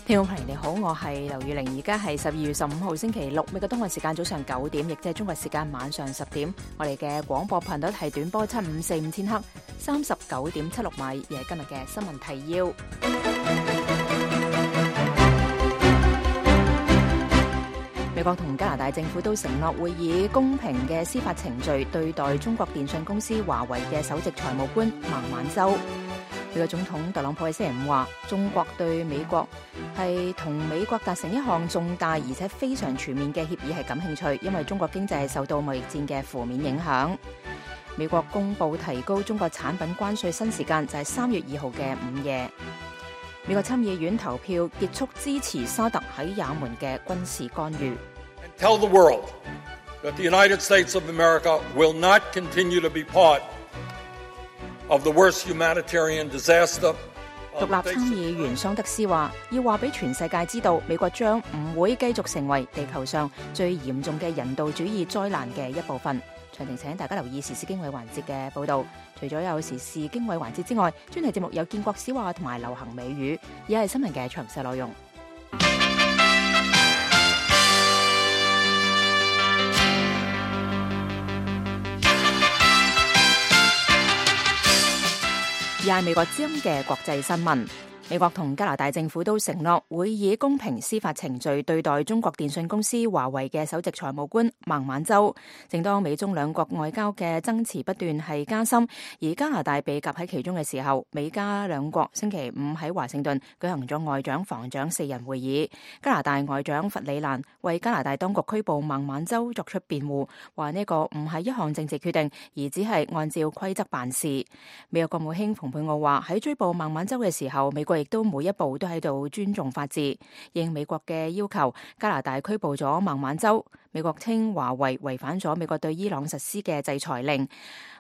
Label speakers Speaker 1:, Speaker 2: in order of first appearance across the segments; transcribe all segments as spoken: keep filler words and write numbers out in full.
Speaker 1: 聽眾朋友你好，我係劉宇玲，而家係十二月十五號星期六，美國東岸時間早上九點，亦即係中國時間晚上十點。我哋嘅廣播頻率係短波七五四五千赫，三十九點七六米，而係今日嘅新聞提要。美國同加拿大政府都承諾會以公平嘅司法程序對待中國電信公司華為嘅首席財務官孟晚舟。美國總統特朗普喺星期五話，中國對美國係同美國達成一項重大而且非常全面嘅協議係感興趣，因為中國經濟係受到貿易戰嘅負面影響。美國公布提高中國產品關稅新時間就係三月二號嘅午夜。美國參議院投票結束支持沙特喺也門嘅軍事干預。
Speaker 2: Tell the world that the United States of America will not continue to be part of the worst humanitarian disaster.
Speaker 1: 獨立參議員桑德斯話：要話俾全世界知道，美國將唔會繼續成為地球上最嚴重嘅人道主義災難嘅一部分。詳情請大家留意時事經緯環節嘅報導。除咗有時事經緯環節之外，專題節目有建國史話同埋流行美語，而係新聞嘅詳細內容。而係美國之音嘅國際新聞。美國同加拿大政府都承諾會以公平司法程序對待中國電信公司華為嘅首席財務官孟晚舟。正當美中兩國外交嘅爭持不斷係加深，而加拿大被夾喺其中嘅時候，美加兩國星期五喺華盛頓舉行咗外長防長四人會議。加拿大外長弗里蘭為加拿大當局拘捕孟晚舟作出辯護，話呢個唔係一項政治決定，而只係按照規則辦事。美國國務卿蓬佩奧話喺追捕孟晚舟嘅時候，美國亦都每一步都喺度尊重法治。應美國嘅要求，加拿大拘捕咗孟晚舟。美國稱華為違反咗美國對伊朗實施嘅制裁令。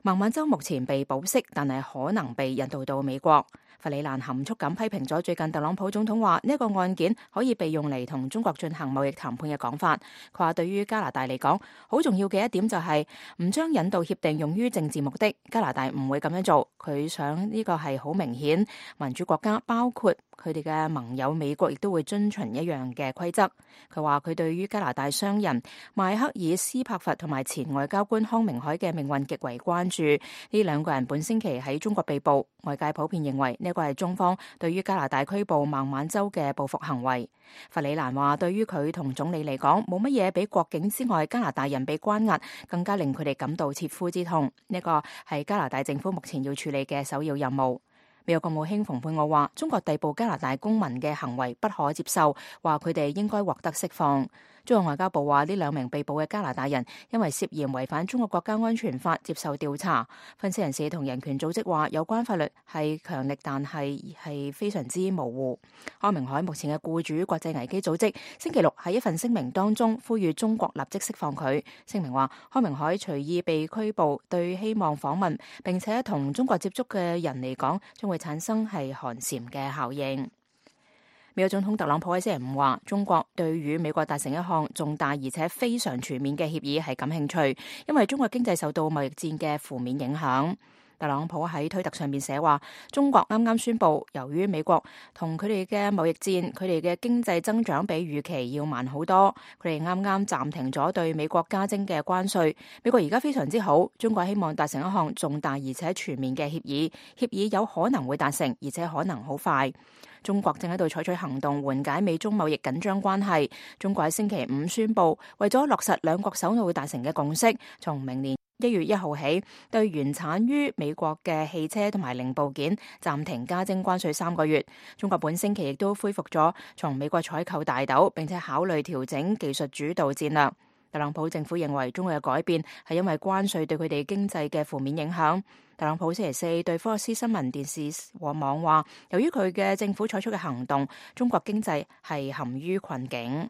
Speaker 1: 孟晚舟目前被保釋，但係可能被引渡到美國。弗里蘭含蓄咁批評咗最近特朗普總統話呢個案件可以被用嚟同中國進行貿易談判嘅講法。佢話對於加拿大嚟講，好重要嘅一點就係唔將引渡協定用於政治目的。加拿大唔會咁樣做。佢想呢個係好明顯，民主國家包括佢哋嘅盟友美國亦都會遵循一樣嘅規則。佢話佢對於加拿大商人邁克爾斯柏佛同埋前外交官康明凱嘅命運極為關注。呢兩個人本星期喺中國被捕，外界普遍認為呢個係中方對於加拿大拘捕孟晚舟嘅報復行為。弗里蘭話對於佢同總理嚟講，冇乜嘢比國境之外加拿大人被關押更加令佢哋感到切膚之痛。呢個係加拿大政府目前要處理嘅首要任務。美國國務卿蓬佩奧話中國逮捕加拿大公民嘅行為不可接受，話佢哋應該獲得釋放。中國外交部話呢兩名被捕嘅加拿大人因為涉嫌違反中國國家安全法接受調查。分析人士同人權組織話有關法律係強力，但係係非常之模糊。康明凱目前嘅僱主國際危機組織星期六喺一份聲明當中呼籲中國立即釋放佢。聲明話康明凱隨意被拘捕對希望訪問並且同中國接觸嘅人嚟講將會產生係寒蟬嘅效應。美國總統特朗普喺星期五話，中國對與美國達成一項重大而且非常全面嘅協議係感興趣，因為中國經濟受到貿易戰嘅負面影響。特朗普喺推特上面寫話，中國啱啱宣布，由於美國同佢哋嘅貿易戰，佢哋嘅經濟增長比預期要慢好多。佢哋啱啱暫停咗對美國加徵嘅關稅。美國而家非常之好，中國希望達成一項重大而且全面嘅協議，協議有可能會達成，而且可能好快。中國正喺度採取行動緩解美中貿易緊張關係。中國喺星期五宣布，為咗落實兩國首腦達成嘅共識，從明年一月一號起，對原產於美國嘅汽車同埋零部件暫停加徵關稅三個月。中國本星期亦都恢復咗從美國採購大豆，並且考慮調整技術主導戰略。特朗普政府認為中國嘅改變係因為關稅對佢哋經濟嘅負面影響。特朗普星期四對福克斯新聞電視和網話，由於佢嘅政府採取嘅行動，中國經濟係陷於困境。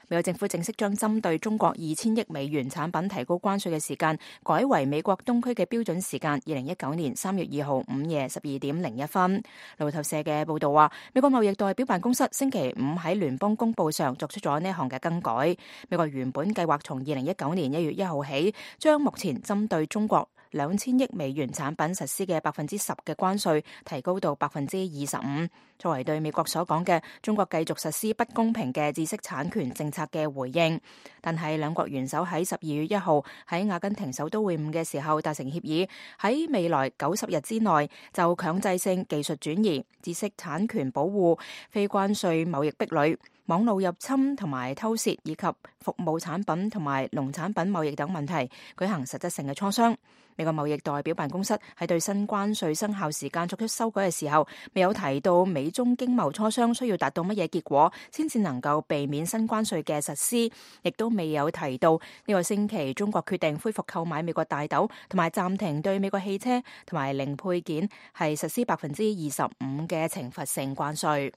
Speaker 1: 美國政府正式將針對中國二千億美元產品提高關稅嘅時間改為美國東區嘅標準時間二零一九年三月二號午夜十二點零一分。路透社嘅報道話，美國貿易代表辦公室星期五喺聯邦公報上作出咗呢項嘅更改。美國原本計劃從二零一九年一月一號起，將目前針對中國兩千億美元產品實施嘅百分之十嘅關稅提高到百分之二十五，作為對美國所講嘅中國繼續實施不公平嘅知識產權政策嘅回應。但係兩國元首喺十二月一號喺阿根廷首都會晤嘅時候達成協議，喺未來九十日之內就強制性技術轉移、知識產權保護、非關稅貿易壁壘、網絡入侵同埋偷竊以及服務產品同埋農產品貿易等問題舉行實質性嘅磋商。美國貿易代表辦公室喺對新關稅生效時間作出修改嘅時候，未有提到美中經貿磋商需要達到乜嘢結果先至能夠避免新關稅嘅實施，亦都未有提到呢個星期中國決定恢復購買美國大豆，同埋暫停對美國汽車同埋零配件係實施百分之二十五嘅懲罰性關稅。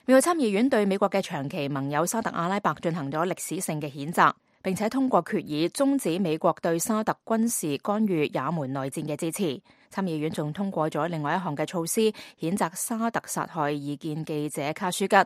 Speaker 1: 美國參議院對美國嘅長期盟友沙特阿拉伯進行咗歷史性嘅譴責，並且通過決議終止美國對沙特軍事干預也門內戰嘅支持。參議院仲通過咗另外一項嘅措施，譴責沙特殺害異見記者卡舒吉。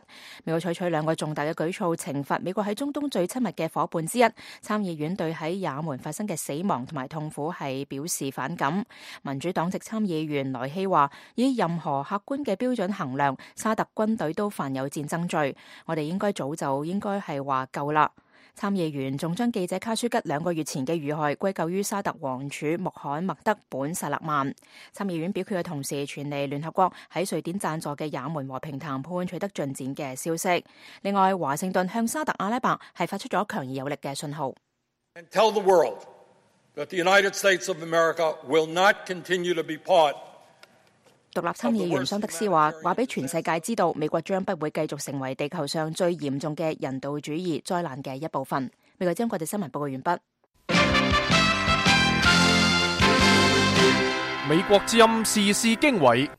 Speaker 1: 美國採取兩個重大嘅舉措，懲罰美國喺中東最親密嘅夥伴之一。參議院對喺也門發生嘅死亡同埋痛苦係表示反感。民主黨籍參議員萊希話：以任何客觀嘅標準衡量，沙特軍隊都犯有戰爭罪。我哋應該早就應該係話夠啦。參議員仲將記者卡舒吉兩個月前嘅遇害歸咎於沙特王儲穆罕默德本薩勒曼。參議院表決嘅同時，傳嚟聯合國喺瑞典贊助嘅也門和平談判取得進展嘅消息。另外，華盛頓向沙特阿拉伯係發出咗強而有力嘅信號。
Speaker 2: And tell the world that the United States of America will not continue to be part。
Speaker 1: 獨立參議員桑德斯話：話俾全世界知道，美國將不會繼續成為地球上最嚴重嘅人道主義災難嘅一部分。美國將國際新聞報告完畢。
Speaker 3: 美國之音時事經緯，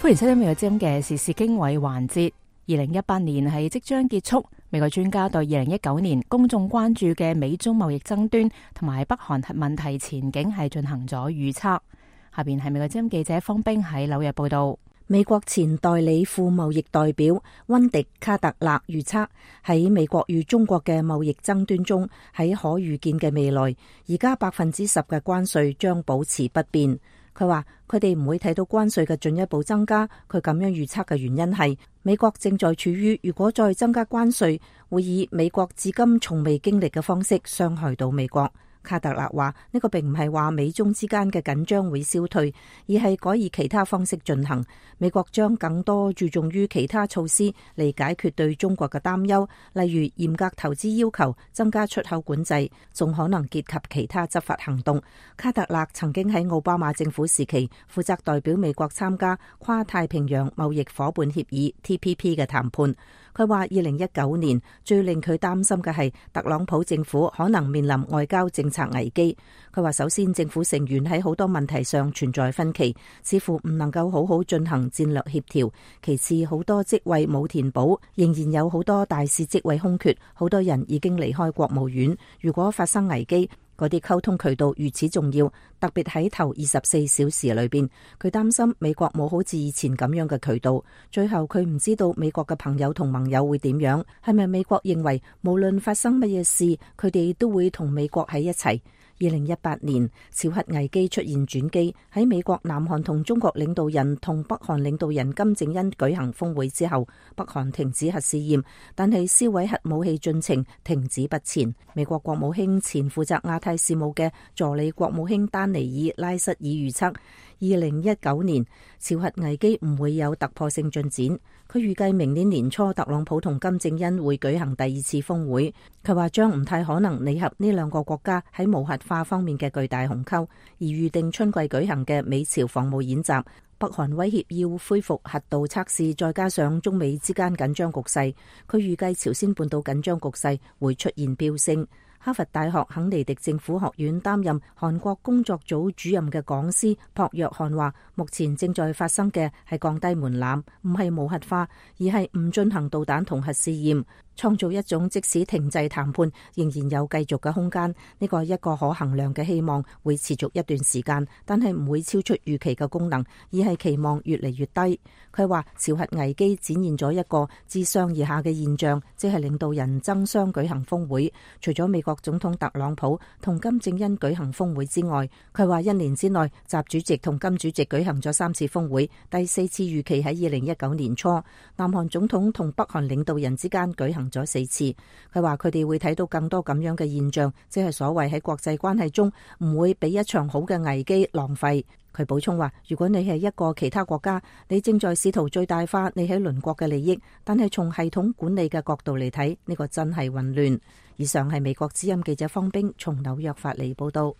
Speaker 1: 歡迎收聽美國之音嘅時事經緯環節。二零一八年係即將結束，美國專家對二零一九年公眾關注嘅美中貿易爭端同埋北韓核問題前景係進行咗預測。下邊係美國之音記者方冰喺紐約報道。
Speaker 4: 美國前代理副貿易代表溫迪卡特勒預測，喺美國與中國嘅貿易爭端中，喺可預見嘅未來，而家百分之十嘅關稅將保持不變。佢話佢哋唔會睇到關稅嘅進一步增加。佢咁樣預測嘅原因係美國正在處於如果再增加關稅，會以美國至今從未經歷嘅方式傷害到美國。卡特勒話呢個並唔係話美中之間嘅緊張會消退，而係改以其他方式進行。美國將更多注重於其他措施嚟解決對中國嘅擔憂，例如嚴格投資要求、增加出口管制，仲可能結合其他執法行動。卡特勒曾經喺奧巴馬政府時期負責代表美國參加跨太平洋貿易夥伴協議 T P P 嘅談判。佢話二零一九年最令佢擔心嘅係特朗普政府可能面臨外交政策危機。佢話首先政府成員喺好多問題上存在分歧，似乎唔能夠好好進行戰略協調。其次，好多職位冇填補，仍然有好多大使職位空缺，好多人已經離開國務院。如果發生危機，嗰啲溝通渠道如此重要，特別喺頭二十四小時裏邊，佢擔心美國冇好似以前咁樣嘅渠道。最後佢唔知道美國嘅朋友同盟友會點樣，係咪美國認為無論發生乜嘢事，佢哋都會同美國喺一齊？二零一八年朝核危機出現轉機，喺美國、南韓同中國領導人同北韓領導人金正恩舉行峰會之後，北韓停止核試驗，但係銷毀核武器進程停止不前。美國國務卿前負責亞太事務嘅助理國務卿丹尼爾拉瑟爾預測，二零一九年朝核危機唔會有突破性進展。佢預計明年年初特朗普同金正恩會舉行第二次峰會。佢話將唔太可能彌合呢兩個國家喺無核化方面嘅巨大鴻溝，而預定春季舉行嘅美朝防務演習，北韓威脅要恢復核導測試，再加上中美之間緊張局勢，佢預計朝鮮半島緊張局勢會出現飆升。哈佛大學肯尼迪政府學院擔任韓國工作組主任嘅講師朴約翰話，目前正在發生嘅係降低門檻，唔係無核化，而係唔進行導彈同核試驗。創造一種即使停滯談判仍然有繼續嘅空間。呢個係一個可衡量嘅希望，會持續一段時間，但係唔會超出預期嘅功能，而係期望越嚟越低。佢話朝核危機展現咗一個自上而下嘅現象，即係領導人爭相舉行峰會。除咗美國總統特朗普同金正恩舉行峰會之外，佢話一年之內習主席同金主席舉行咗三次峰會，第四次預期喺二零一九年初。南韓總統同北韓領導人之間舉行咗四次。佢話佢哋會睇到更多咁樣嘅現象，即係所謂喺國際關係中唔會俾一場好嘅危機浪費。佢補充話，如果你係一個其他國家，你正在試圖最大化你喺鄰國嘅利益，但係從系統管理嘅角度嚟睇，呢個真係混亂。以上係美國之音記者方冰從紐約發嚟報道。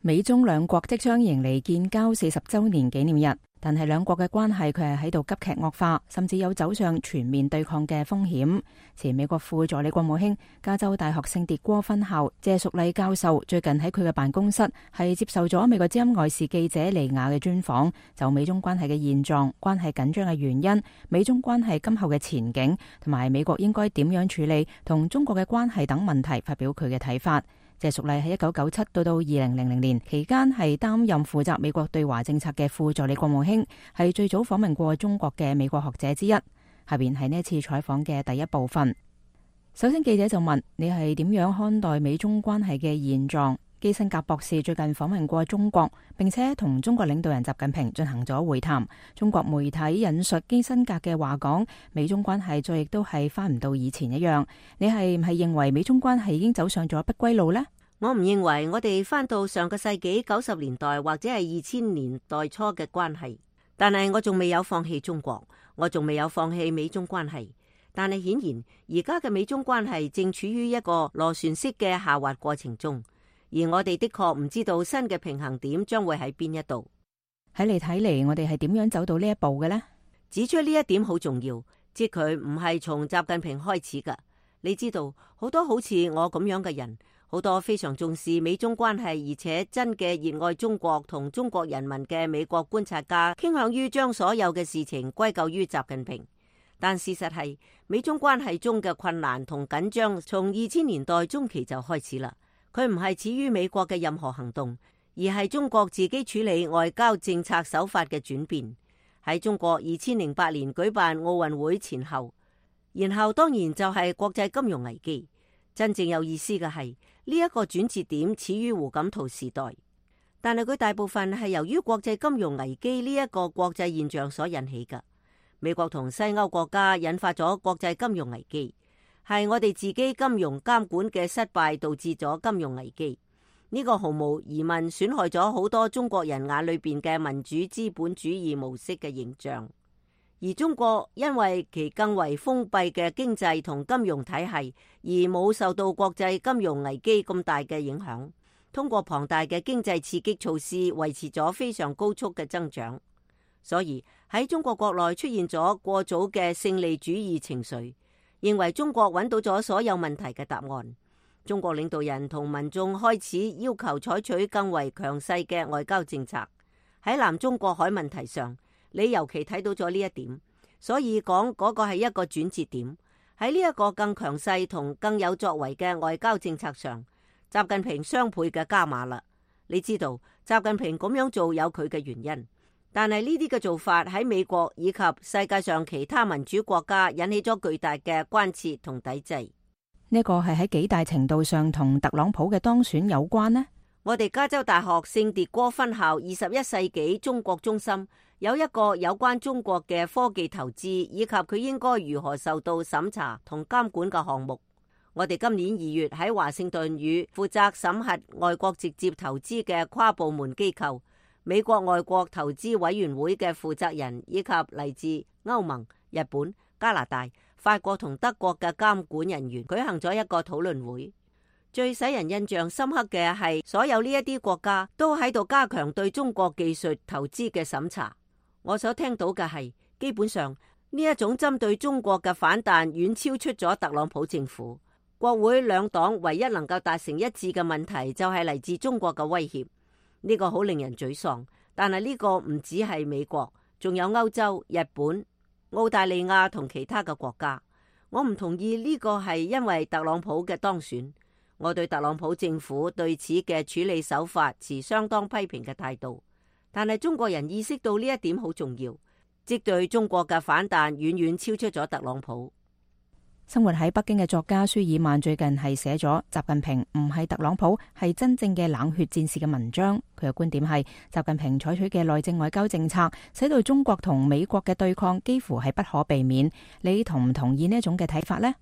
Speaker 1: 美中兩國即將迎嚟建交四十週年紀念日，但係兩國嘅關係佢係喺度急劇惡化，甚至有走上全面對抗嘅風險。前美國副助理國務卿、加州大學聖迭戈分校謝淑麗教授最近喺佢嘅辦公室係接受咗美國之音外事記者尼亞嘅專訪，就美中關係嘅現狀、關係緊張嘅原因、美中關係今後嘅前景，同埋美國應該點樣處理同中國嘅關係等問題發表佢嘅睇法。謝淑麗喺一九九七到到二零零零年期間係擔任負責美國對華政策嘅副助理國務卿，係最早訪問過中國嘅美國學者之一。下邊係呢一次採訪嘅第一部分。首先記者就問，你係點樣看待美中關係嘅現狀？基辛格博士最近訪問過中國，並且同中國領導人習近平進行咗會談。中國媒體引述基辛格嘅話講，美中關係再亦都係翻唔到以前一樣。你係唔係認為美中關係已經走上咗不歸路呢？
Speaker 5: 我唔認為我哋翻到上個世紀九十年代或者係二千年代初嘅關係，但係我仲未有放棄中國，我仲未有放棄美中關係。但係顯然而家嘅美中關係正處於一個螺旋式嘅下滑過程中。而我哋的確唔知道新嘅平衡點將會喺邊一度。
Speaker 1: 喺你睇嚟，我哋係點樣走到呢一步嘅呢？
Speaker 5: 指出呢一點好重要，即佢唔係從習近平開始㗎。你知道好多好似我咁樣嘅人，好多非常重視美中關係，而且真嘅熱愛中國同中國人民嘅美國觀察家，傾向於將所有嘅事情歸咎於習近平。但事實係，美中關係中嘅困難同緊張，從二千年代中期就開始啦。佢唔係始於美國嘅任何行動，而係中國自己處理外交政策手法嘅轉變。喺中國二千零八年舉辦奧運會前後，然後當然就係國際金融危機。真正有意思嘅係呢一個轉折點始於胡錦濤時代，但係佢大部分係由於國際金融危機呢一個國際現象所引起嘅。美國同西歐國家引發咗國際金融危機。係我哋自己金融監管嘅失敗導致咗金融危機，呢個毫無疑問損害咗好多中國人眼裏邊嘅民主資本主義模式嘅形象。而中國因為其更為封閉嘅經濟同金融體系，而冇受到國際金融危機咁大嘅影響，通過龐大嘅經濟刺激措施維持咗非常高速嘅增長。所以喺中國國內出現咗過早嘅勝利主義情緒，認為中國揾到咗所有問題嘅答案。中國領導人同民眾開始要求採取更為強勢嘅外交政策。喺南中國海問題上，你尤其睇到咗呢一點，所以講嗰個係一個轉折點。喺呢一個更強勢同更有作為嘅外交政策上，習近平雙倍嘅加碼啦。你知道習近平咁樣做有佢嘅原因。但係呢啲嘅做法喺美國以及世界上其他民主國家引起咗巨大嘅關切同抵制。
Speaker 1: 呢個係喺幾大程度上同特朗普嘅當選有關呢？
Speaker 5: 我哋加州大學聖迭戈分校二十一世紀中國中心有一個有關中國嘅科技投資以及佢應該如何受到審查同監管嘅項目。我哋今年二月喺華盛頓與負責審核外國直接投資嘅跨部門機構美國外國投資委員會嘅負責人以及嚟自歐盟、日本、加拿大、法國同德國嘅監管人員舉行咗一個討論會。最使人印象深刻嘅係，所有呢一啲國家都喺度加強對中國技術投資嘅審查。我所聽到嘅係，基本上呢一種針對中國嘅反彈遠超出咗特朗普政府。國會兩黨唯一能夠達成一致嘅問題就係嚟自中國嘅威脅。呢個好令人沮喪，但係呢個唔只係美國，仲有歐洲、日本、澳大利亞同其他嘅國家。我唔同意呢個係因為特朗普嘅當選。我對特朗普政府對此嘅處理手法持相當批評嘅態度。但係中國人意識到呢一點好重要，即對中國嘅反彈遠遠超出咗特朗普。
Speaker 1: 生活喺北京嘅作家舒爾曼最近係寫咗習近平唔係特朗普，係真正嘅冷血戰士嘅文章。佢嘅觀點係習近平採取嘅內政外交政策，使到中國同美國嘅對抗幾乎係不可避免。你同唔同意呢一種嘅睇法呢？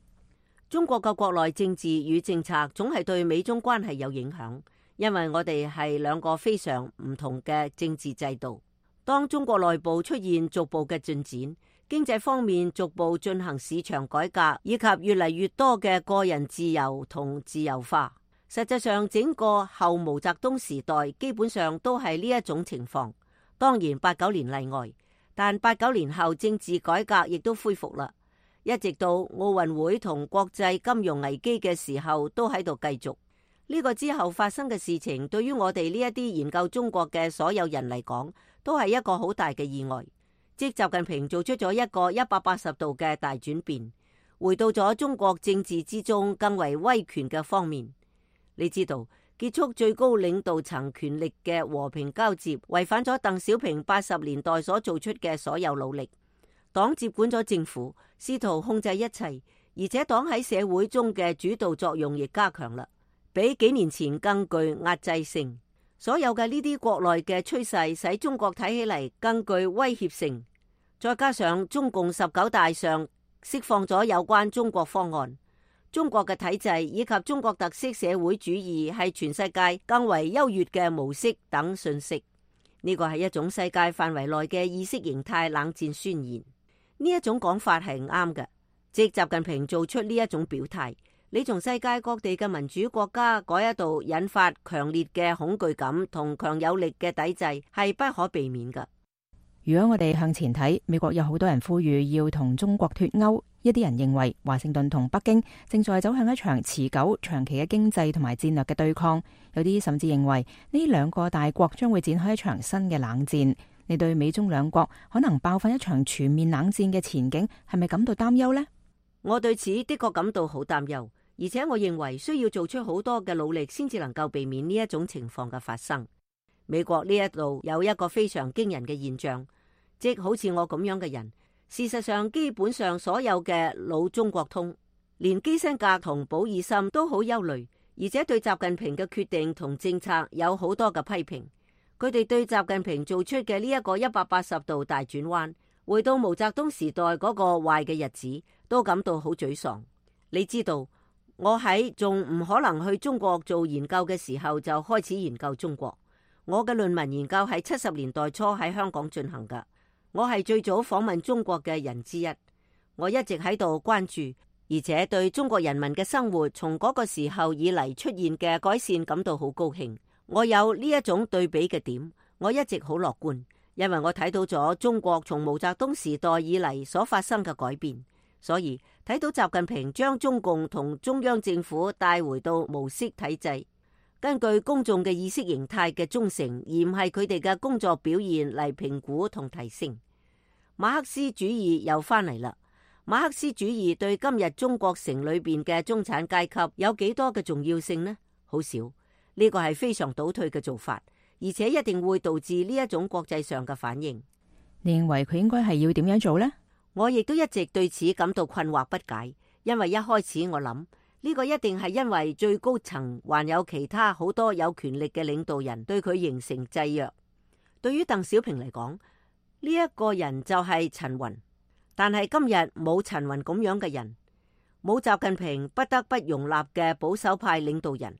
Speaker 5: 中國嘅國內政治與政策總係對美中關係有影響，因為我哋係兩個非常唔同嘅政治制度。當中國內部出現逐步嘅進展，經濟方面逐步進行市場改革，以及越嚟越多嘅個人自由同自由化。實際上，整個後毛澤東時代基本上都係呢一種情況。當然八九年例外，但八九年後政治改革亦都恢復啦。一直到奧運會同國際金融危機嘅時候都喺度繼續。呢個之後發生嘅事情，對於我哋呢一啲研究中國嘅所有人嚟講，都係一個好大嘅意外。即習近平做出咗一個一百八十度嘅大轉變，回到咗中國政治之中更為威權嘅方面。你知道，結束最高領導層權力嘅和平交接，違反咗鄧小平八十年代所做出嘅所有努力。黨接管咗政府，試圖控制一切，而且黨喺社會中嘅主導作用亦加強啦，比幾年前更具壓制性。所有嘅呢啲國內嘅趨勢，使中國睇起嚟更具威脅性。再加上中共十九大上釋放咗有關中國方案，中國嘅體制以及中國特色社會主義係全世界更為優越嘅模式等信息。呢個係一種世界範圍內嘅意識形態冷戰宣言。呢一種講法係唔啱嘅，即習近平做出呢一種表態，你從世界各地嘅民主國家嗰一度引發強烈嘅恐懼感同強有力嘅抵制，係不可避免嘅。
Speaker 1: 如果我哋向前睇，美國有好多人呼籲要同中國脫鈎，一啲人認為華盛頓同北京正在走向一場持久長期嘅經濟同埋戰略嘅對抗，有啲甚至認為呢兩個大國將會展開一場新嘅冷戰。你對美中兩國可能爆發一場全面冷戰嘅前景係咪感到擔憂呢？
Speaker 5: 我對此的確感到好擔憂，而且我認為需要做出好多嘅努力先至能夠避免呢一種情況嘅發生。美國呢一度有一個非常驚人嘅現象，即好似我咁樣嘅人，事實上基本上所有嘅老中國通，連基辛格同保爾森都好憂慮，而且對習近平嘅決定同政策有好多嘅批評。佢哋對習近平做出嘅呢一個一百八十度大轉彎，回到毛澤東時代嗰個壞嘅日子，都感到好沮喪。你知道，我喺仲唔可能去中國做研究嘅時候就開始研究中國。我嘅論文研究喺七十年代初喺香港進行㗎。我係最早訪問中國嘅人之一。我一直喺度關注，而且對中國人民嘅生活從嗰個時候以嚟出現嘅改善感到好高興。我有呢一種對比嘅點，我一直好樂觀，因為我睇到咗中國從毛澤東時代以嚟所發生嘅改變，所以睇到習近平將中共同中央政府帶回到毛式體制，根據公眾嘅意識形態嘅忠誠，而唔係佢哋嘅工作表現嚟評估同提升。馬克思主義又翻嚟啦。馬克思主義對今日中國城裏邊嘅中產階級有幾多嘅重要性呢？好少。呢個係非常倒退嘅做法，而且一定會導致呢一種國際上嘅反應。
Speaker 1: 你認為佢應該係要點樣做呢？
Speaker 5: 我亦都一直對此感到困惑不解，因為一開始我諗呢個一定係因為最高層還有其他好多有權力嘅領導人對佢形成制約。對於鄧小平嚟講，呢一個人就係陳雲，但係今日冇陳雲咁樣嘅人，冇習近平不得不容納嘅保守派領導人。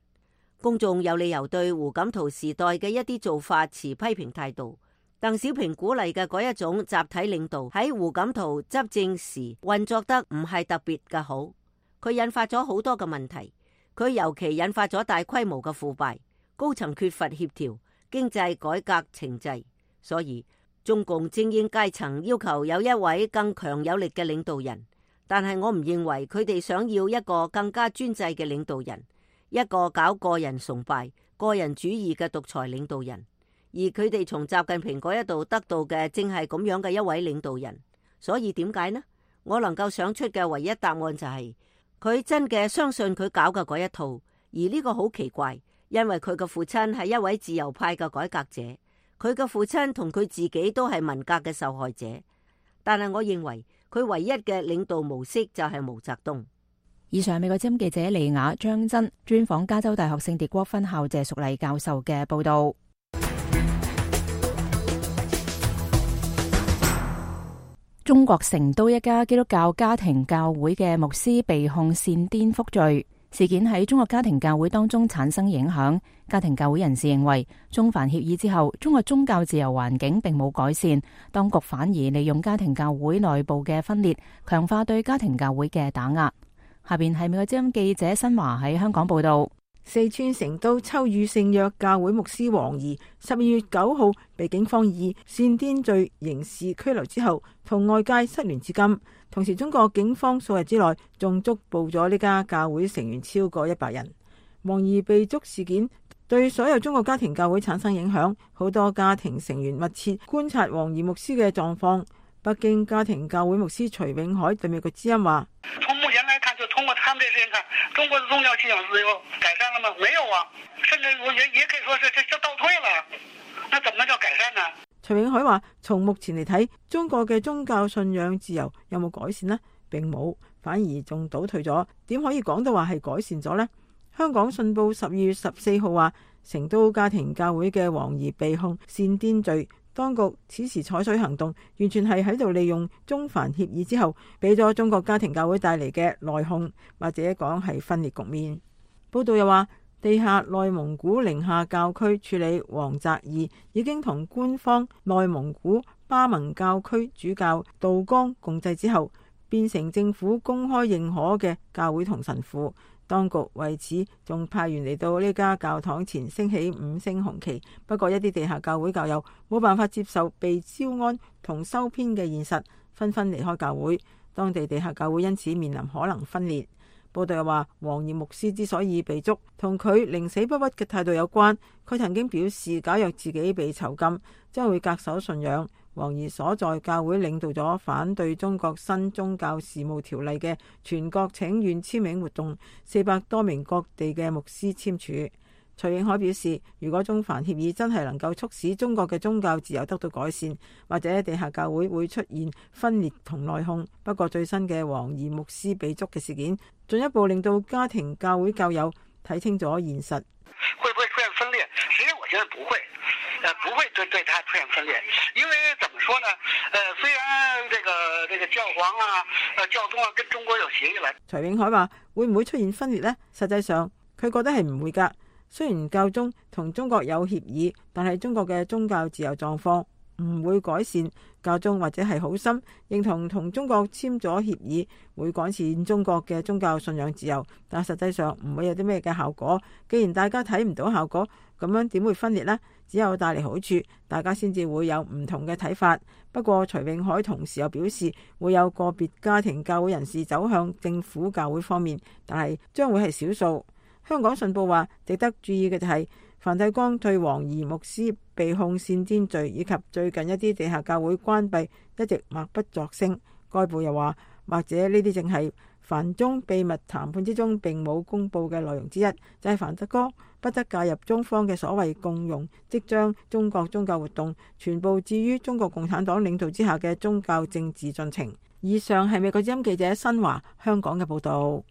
Speaker 5: 公眾有理由對胡錦濤時代嘅一啲做法持批評態度。鄧小平鼓勵嘅嗰一種集體領導喺胡錦濤執政時運作得唔係特別嘅好，佢引發咗好多嘅問題。佢尤其引發咗大規模嘅腐敗，高層缺乏協調，經濟改革停滯。所以中共精英階層要求有一位更強有力嘅領導人，但係我唔認為佢哋想要一個更加專制嘅領導人，一個搞個人崇拜、個人主義嘅獨裁領導人，而佢哋從習近平嗰一度得到嘅正係咁樣嘅一位領導人。所以點解呢？我能夠想出嘅唯一答案就係佢真嘅相信佢搞嘅嗰一套，而呢個好奇怪，因為佢嘅父親係一位自由派嘅改革者，佢嘅父親同佢自己都係文革嘅受害者。但係我認為佢唯一嘅領導模式就係毛澤東。
Speaker 1: 以上美國之音記者李雅、張真專訪加州大學聖迭戈分校謝淑麗教授嘅報道。中國成都一家基督教家庭教會嘅牧師被控煽顛覆罪，事件喺中國家庭教會當中產生影響。家庭教會人士認為，中梵協議之後，中國宗教自由環境並冇改善，當局反而利用家庭教會內部嘅分裂，強化對家庭教會嘅打壓。下邊係美國之音記者新華喺香港報道。
Speaker 6: 四川成都秋雨聖約教會牧師王怡十二月九號被警方以煽顛罪刑事拘留之後，同外界失聯至今。同時，中國警方數日之內仲捉捕咗呢家教會成員超過一百人。王怡被捉事件對所有中國家庭教會產生影響，好多家庭成員密切觀察王怡牧師嘅狀況。北京家庭教會牧師徐永海對美國之音話：
Speaker 7: 從目前來看，就通過他們這事情看，中國的宗教信仰自由改善了嗎？沒有啊，甚至我也也可以說是這倒退了。那怎麼叫改善呢？
Speaker 6: 徐永海話：從目前嚟睇，中國嘅宗教信仰自由有冇改善呢？並冇，反而仲倒退咗。點可以講到話係改善咗呢？香港信報十二月十四號話，成都家庭教會嘅王怡被控煽顛罪。當局此時採取行動，完全係喺度利用中梵協議之後，俾咗中國家庭教會帶嚟嘅內訌，或者講係分裂局面。報道又話，地下內蒙古寧夏教區處理王澤義已經同官方內蒙古巴盟教區主教杜江共濟之後，變成政府公開認可嘅教會同神父。當局為此仲派員嚟到呢家教堂前升起五星紅旗，不過一啲地下教會教友冇辦法接受被招安同收編嘅現實，紛紛離開教會。當地地下教會因此面臨可能分裂。報道又話，王怡牧師之所以被捉，同佢寧死不屈嘅態度有關。佢曾經表示，假若自己被囚禁，將會恪守信仰。王怡所在教會領導咗反對中國新宗教事務條例嘅全國請願簽名活動，四百多名各地嘅牧師簽署。徐永海表示，如果中梵協議真係能夠促使中國嘅宗教自由得到改善，或者地下教會會出現分裂同內訌。不過最新嘅王怡牧師被捉嘅事件，進一步令到家庭教會教友睇清咗現實。
Speaker 7: 會不會出現分裂？實際上我覺得不會，呃，不會對對他出現分裂，因為怎麼說呢？呃，雖然這個這個教皇啊、呃教宗啊跟中國有協議來。
Speaker 6: 徐永海話：會唔會出現分裂呢？實際上佢覺得係唔會㗎。雖然教宗同中國有協議，但係中國嘅宗教自由狀況唔會改善。教宗或者係好心認同同中國簽咗協議，會改善中國嘅宗教信仰自由，但實際上唔會有啲咩嘅效果。既然大家睇唔到效果，咁樣點會分裂呢？只有帶嚟好處，大家先至會有唔同嘅睇法。不過徐永海同時又表示，會有個別家庭教會人士走向政府教會方面，但係將會係少數。香港信報話，值得注意嘅就係梵蒂岡對王怡牧師被控煽顛罪以及最近一啲地下教會關閉一直默不作聲。該報又話，或者呢啲正係梵中秘密談判之中並冇公佈嘅內容之一，就係梵蒂岡不得介入中方嘅所謂共融，即將中國宗教活動全部置於中國共產黨領導之下嘅宗教政治進程。以上係美國之音記者新華香港嘅報導。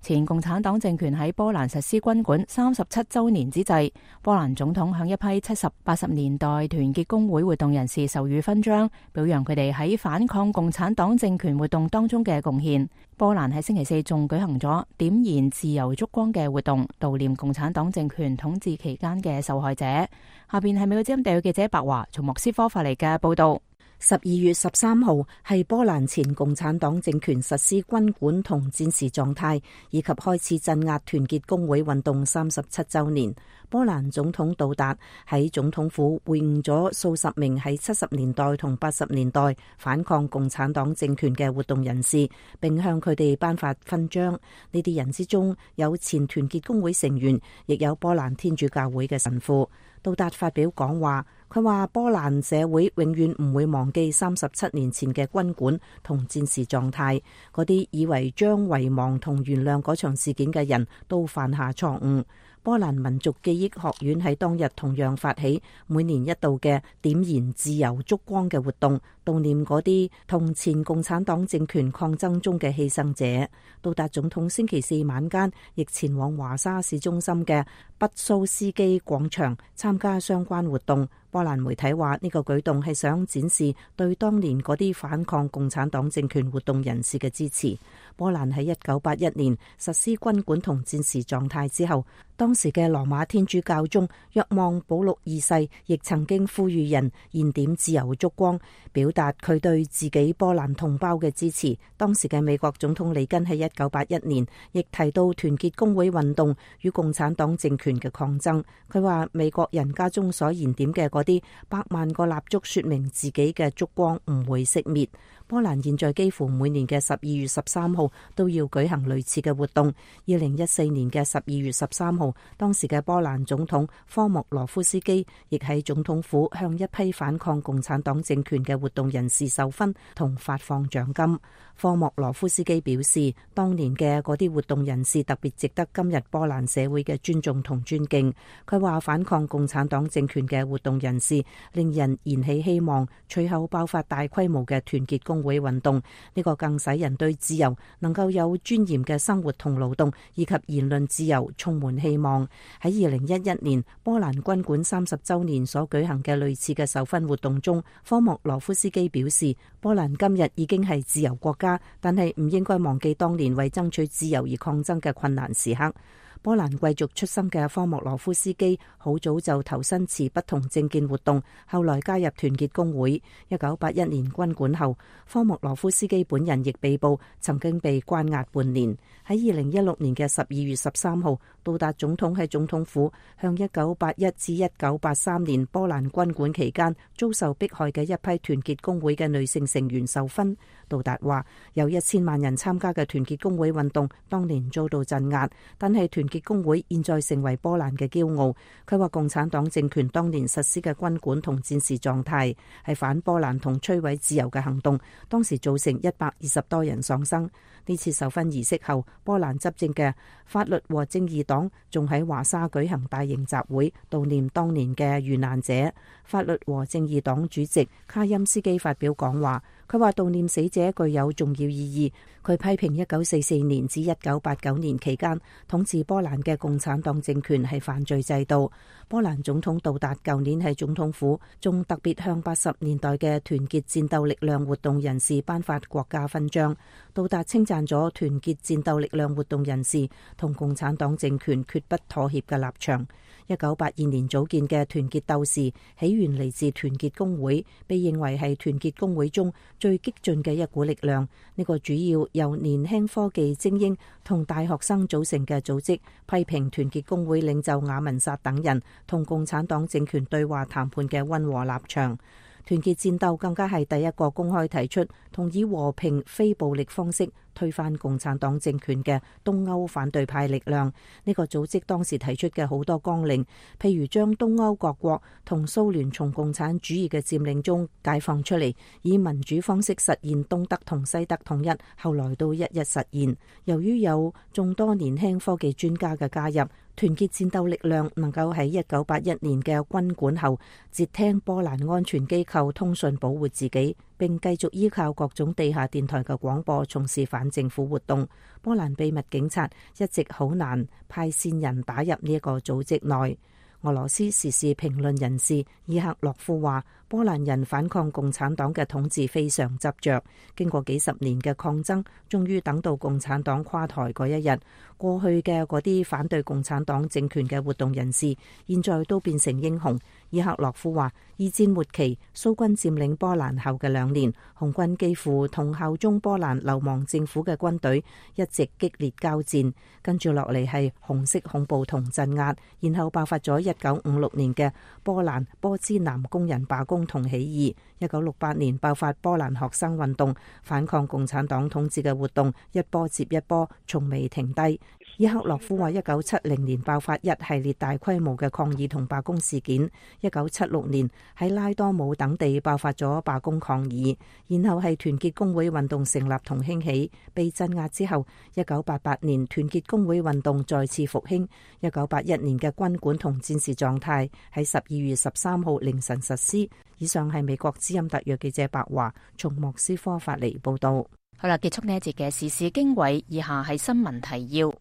Speaker 1: 前共產黨政權喺波蘭實施軍管三十七週年之際，波蘭總統向一批七十、八十年代團結工會活動人士授予勳章，表揚佢哋喺反抗共產黨政權活動當中嘅貢獻。波蘭喺星期四仲舉行咗點燃自由燭光嘅活動，悼念共產黨政權統治期間嘅受害者。下邊係美國之音地區記者白華從莫斯科發嚟嘅報道。
Speaker 4: 十二月十三號係波蘭前共產黨政權實施軍管同戰時狀態，以及開始鎮壓團結工會運動三十七週年。波蘭總統杜達喺總統府會晤咗數十名喺七十年代同八十年代反抗共產黨政權嘅活動人士，並向佢哋頒發勳章。呢啲人之中有前團結工會成員，亦有波蘭天主教會嘅神父。杜達發表講話，佢話波蘭社會永遠唔會忘記三十七年前嘅軍管同戰時狀態，嗰啲以為將遺忘同原諒嗰場事件嘅人都犯下錯誤。波蘭民族記憶學院喺當日同樣發起每年一度嘅點燃自由燭光嘅活動，悼念嗰啲同前共產黨政權抗爭中嘅犧牲者。杜達總統星期四晚間亦前往華沙市中心嘅畢蘇斯基廣場參加相關活動。波蘭媒體話呢個舉動係想展示對當年嗰啲反抗共產黨政權活動人士嘅支持。波蘭喺一九八一年實施軍管同戰時狀態之後，當時嘅羅馬天主教宗若望保祿二世亦曾經呼籲人燃點自由燭光，表達佢對自己波蘭同胞嘅支持。當時嘅美國總統里根喺一九八一年亦提到團結工會運動與共產黨政權嘅抗爭。佢話美國人家中所燃點嘅嗰啲百萬個蠟燭，說明自己嘅燭光唔會熄滅。波蘭現在幾乎每年嘅十二月十三號都要舉行類似嘅活動。二零一四年嘅十二月十三號，當時嘅波蘭總統科莫羅夫斯基亦喺總統府向一批反抗共產黨政權嘅活動人士授勳同發放獎金。科莫羅夫斯基表示，當年嘅嗰啲活動人士特別值得今日波蘭社會嘅尊重同尊敬。佢話反抗共產黨政權嘅活動人士令人燃起希望，隨後爆發大規模嘅團結工會運動，呢個更使人對自由、能夠有尊嚴嘅生活同勞動以及言論自由充滿希望。喺二零一一年波蘭軍管三十週年所舉行嘅類似嘅授勳活動中，科莫羅夫斯基表示，波蘭今日已經係自由國家，但係唔應該忘記當年為爭取自由而抗爭嘅困難時刻。波蘭貴族出身嘅科莫羅夫斯基好早就投身持不同政見活動，後來加入團結工會。一九八一年軍管後，科莫羅夫斯基本人亦被捕，曾經被關押半年。喺二零一六年嘅十二月十三號，杜達總統喺總統府向一九八一至一九八三年波蘭軍管期間遭受迫害嘅一批團結工會嘅女性成員授勳。杜達話，有一千萬人參加嘅團結工會運動當年遭到鎮壓，但係團結工會現在成為波蘭嘅驕傲。佢話共產黨政權當年實施嘅軍管同戰時狀態係反波蘭同摧毀自由嘅行動，當時造成一百二十多人喪生。呢次授勳儀式後，波蘭執政嘅法律和正義黨仲喺華沙舉行大型集會悼念當年嘅遇難者。法律和正義黨主席卡欽斯基發表講話，佢話悼念死者具有重要意義。佢批評一九四四年至一九八九年期間統治波蘭嘅共產黨政權係犯罪制度。波蘭總統杜達舊年喺總統府仲特別向八十年代嘅團結戰鬥力量活動人士頒發國家勳章。杜達稱讚咗團結戰鬥力量活動人士同共產黨政權決不妥協嘅立場。一九八二年組建嘅團結鬥士起源嚟自團結工會，被認為係團結工會中最激進嘅一股力量。呢個主要由年輕科技精英同大學生組成嘅組織，批評團結工會領袖雅文薩等人同共產黨政權對話談判嘅溫和立場。團結戰鬥更加係第一個公開提出同以和平非暴力方式推翻共產黨政權嘅東歐反對派力量。呢個組織當時提出嘅好多綱領，譬如將東歐各國同蘇聯從共產主義嘅佔領中解放出嚟，以民主方式實現東德同西德統一，後來都一一實現。由於有眾多年輕科技專家嘅加入，團結戰鬥力量能夠喺一九八一年嘅軍管後截聽波蘭安全機構通訊保護自己，並繼續依靠各種地下電台嘅廣播從事反政府活動。波蘭秘密警察一直好難派線人打入呢一個組織內。俄羅斯時事評論人士伊克洛夫話，波蘭人反抗共產黨嘅統治非常執着，經過幾十年嘅抗爭，終於等到共產黨垮台嗰一日。過去嘅嗰啲反對共產黨政權嘅活動人士，現在都變成英雄。伊克洛夫話，二戰末期蘇軍佔領波蘭後嘅兩年，紅軍幾乎同效忠波蘭流亡政府嘅軍隊一直激烈交戰，跟住落嚟係紅色恐怖同鎮壓，然後爆發咗一九五六年嘅波蘭波茲南工人罷工同起義。一九六八年爆發波蘭學生運動，反抗共產黨統治嘅活動一波接一波，從未停低。伊克洛夫話，一九七零年爆發一系列大規模嘅抗議同罷工事件，一九七六年喺拉多姆等地爆發咗罷工抗議，然後係團結工會運動成立同興起，被鎮壓之後，一九八八年團結工會運動再次復興，一九八一年嘅軍管同戰時狀態喺十二月十三號凌晨實施。以上係美國之音特約記者白華從莫斯科發嚟報道。
Speaker 1: 好啦，結束呢一節嘅時事經緯，以下係新聞提要。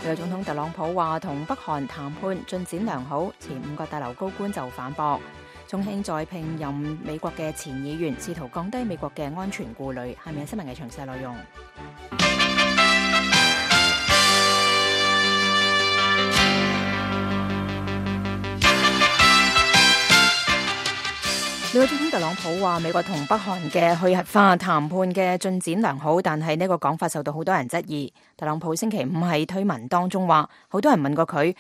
Speaker 1: 美國總統特朗普話同北韓談判進展良好，前五角大樓高官就反駁。中興再聘任美國嘅前議員，試圖降低美國嘅安全顧慮。係咪新聞嘅詳細內容？美國總統特朗普話，美國同北韓嘅去核化談判嘅進展良好，但係呢個講法受到好多人質疑。特朗普星期五喺推文當中話，好多人問過佢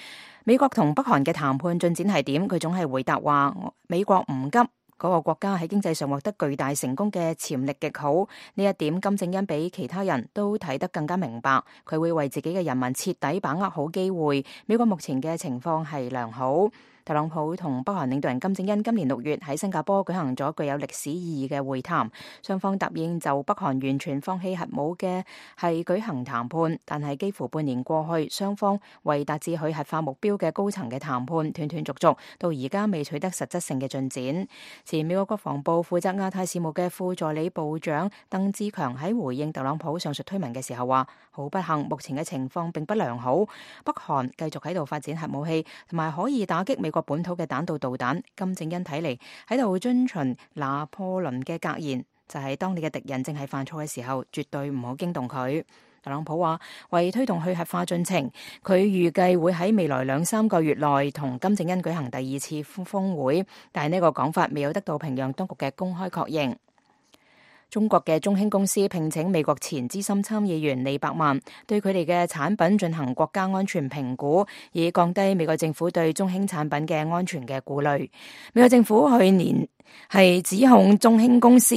Speaker 1: 美國同北韓嘅談判進展係點，佢總係回答話美國唔急，嗰個國家喺經濟上獲得巨大成功嘅潛力極好。呢一點金正恩比其他人都睇得更加明白，佢會為自己嘅人民徹底把握好機會。美國目前嘅情況係良好。特朗普同北韓領導人金正恩今年六月喺新加坡舉行咗具有歷史意義嘅會談，雙方答應就北韓完全放棄核武嘅係舉行談判，但係幾乎半年過去，雙方為達至去核化目標嘅高層嘅談判斷斷續續，到而家未取得實質性嘅進展。前美國國防部負責亞太事務嘅副助理部長鄧志強喺回應特朗普上述推文嘅時候話，好不幸，目前嘅情況並不良好，北韓繼續喺度發展核武器，同埋可以打擊美國本土嘅彈道導彈。金正恩睇嚟喺度遵循拿破崙嘅格言，就係當你嘅敵人正係犯錯嘅時候，絕對唔好驚動佢。特朗普話，為推動去核化進程，佢預計會喺未來兩三個月內同金正恩舉行第二次峰會，但係呢個講法未有得到平壤當局嘅公開確認。中國嘅中興公司聘請美國前資深參議員李百萬對佢哋嘅產品進行國家安全評估，以降低美國政府對中興產品嘅安全嘅顧慮。美國政府去年係指控中興公司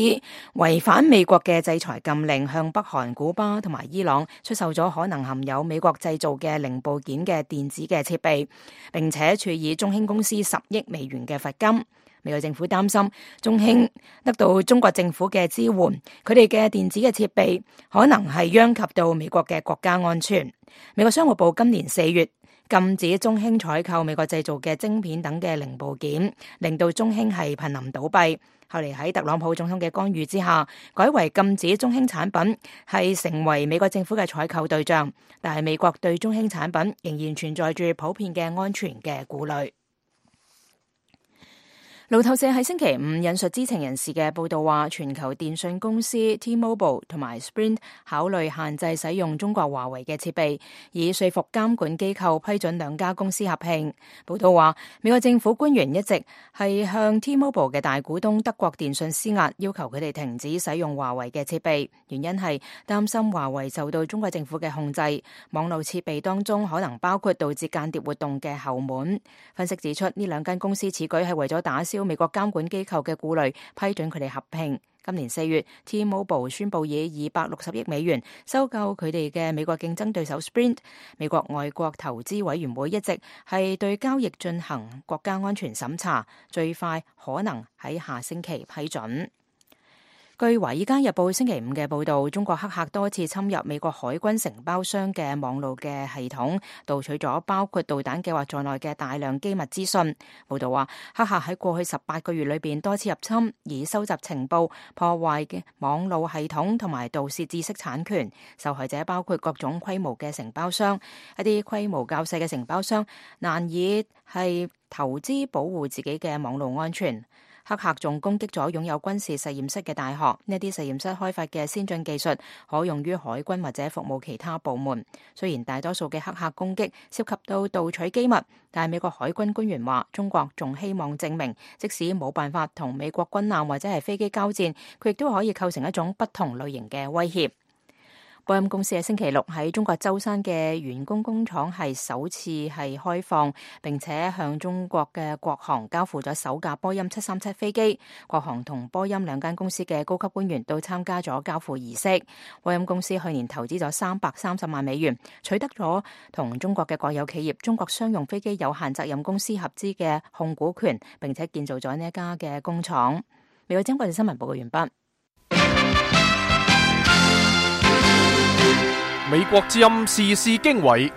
Speaker 1: 違反美國嘅制裁禁令，向北韓、古巴同埋伊朗出售咗可能含有美國製造嘅零部件嘅電子嘅設備，並且處以中興公司十億美元嘅罰金。美國政府擔心中興得到中國政府嘅支援，佢哋嘅電子嘅設備可能係殃及到美國嘅國家安全。美國商務部今年四月禁止中興採購美國製造嘅晶片等嘅零部件，令到中興係瀕臨倒閉。後嚟喺特朗普總統嘅干預之下，改為禁止中興產品係成為美國政府嘅採購對象，但係美國對中興產品仍然存在住普遍嘅安全嘅顧慮。路透社喺星期五引述知情人士嘅報道話，全球電訊公司 T-Mobile 同埋 Sprint 考慮限制使用中國華為嘅設備，以說服監管機構批准兩家公司合併。報道話，美國政府官員一直係向 T-Mobile 嘅大股東德國電信施壓，要求佢哋停止使用華為嘅設備，原因係擔心華為受到中國政府嘅控制，網絡設備當中可能包括導致間諜活動嘅後門。分析指出，呢兩間公司此舉係為咗打消美國監管機構嘅顧慮，批准佢哋合併。今年四月 ，T-Mobile 宣布以二百六十億美元收購佢哋嘅美國競爭對手 Sprint。美國外國投資委員會一直係對交易進行國家安全審查，最快可能喺下星期批准。據《華爾街日報》星期五嘅報導，中國黑客多次侵入美國海軍承包商嘅網路嘅系統，盜取咗包括導彈計劃在內嘅大量機密資訊。報導話，黑客喺過去十八個月裏邊多次入侵，以收集情報、破壞嘅網路系統同埋盜竊知識產權。受害者包括各種規模嘅承包商，一啲規模較細嘅承包商難以係投資保護自己嘅網路安全。黑客仲攻擊咗擁有軍事實驗室嘅大學，呢啲實驗室開發嘅先進技術可用於海軍或者服務其他部門。雖然大多數嘅黑客攻擊涉及到盜取機密，但係美國海軍官員話，中國仲希望證明，即使冇辦法同美國軍艦或者係飛機交戰，佢亦都可以構成一種不同類型嘅威脅。波音公司喺星期六喺中國舟山嘅員工工廠係首次係開放，並且向中國嘅國航交付咗首架波音七三七飛機。國航同波音兩間公司嘅高級官員都參加咗交付儀式。波音公司去年投資咗三百三十萬美元，取得咗同中國嘅國有企業中國商用飛機有限責任公司合資嘅控股權，並且建造咗呢一家嘅工廠。美國之音國際新聞報告完畢。
Speaker 3: 美國之音時事經緯，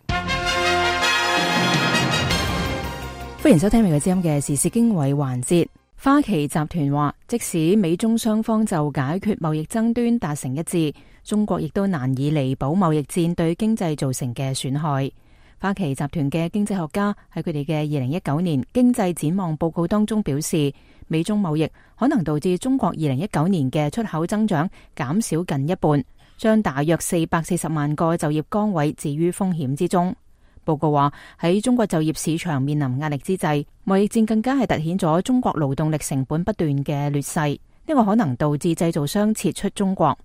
Speaker 1: 歡迎收聽美國之音嘅時事經緯環節。花旗集團話，即使美中雙方就解決貿易爭端達成一致，中國亦都難以彌補貿易戰對經濟造成嘅損害。花旗集團嘅經濟學家喺佢哋嘅二零一九年經濟展望報告當中表示，美中貿易可能導致中國二零一九年嘅出口增長減少近一半，將大約四百四十萬個就業崗位置於風險之中。報告話，喺中國就業市場面臨壓力之際，貿易戰更加係凸顯咗中國勞動力成本不斷嘅劣勢，呢個可能導致製造商撤出中國。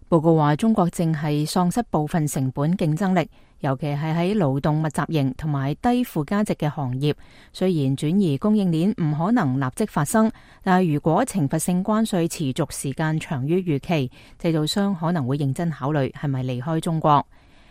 Speaker 1: 報告話，中國正係喪失部分成本競爭力，尤其係喺勞動密集型同埋低附加值嘅行業。雖然轉移供應鏈唔可能立即發生，但係如果懲罰性關稅持續時間長於預期，製造商可能會認真考慮係咪離開中國。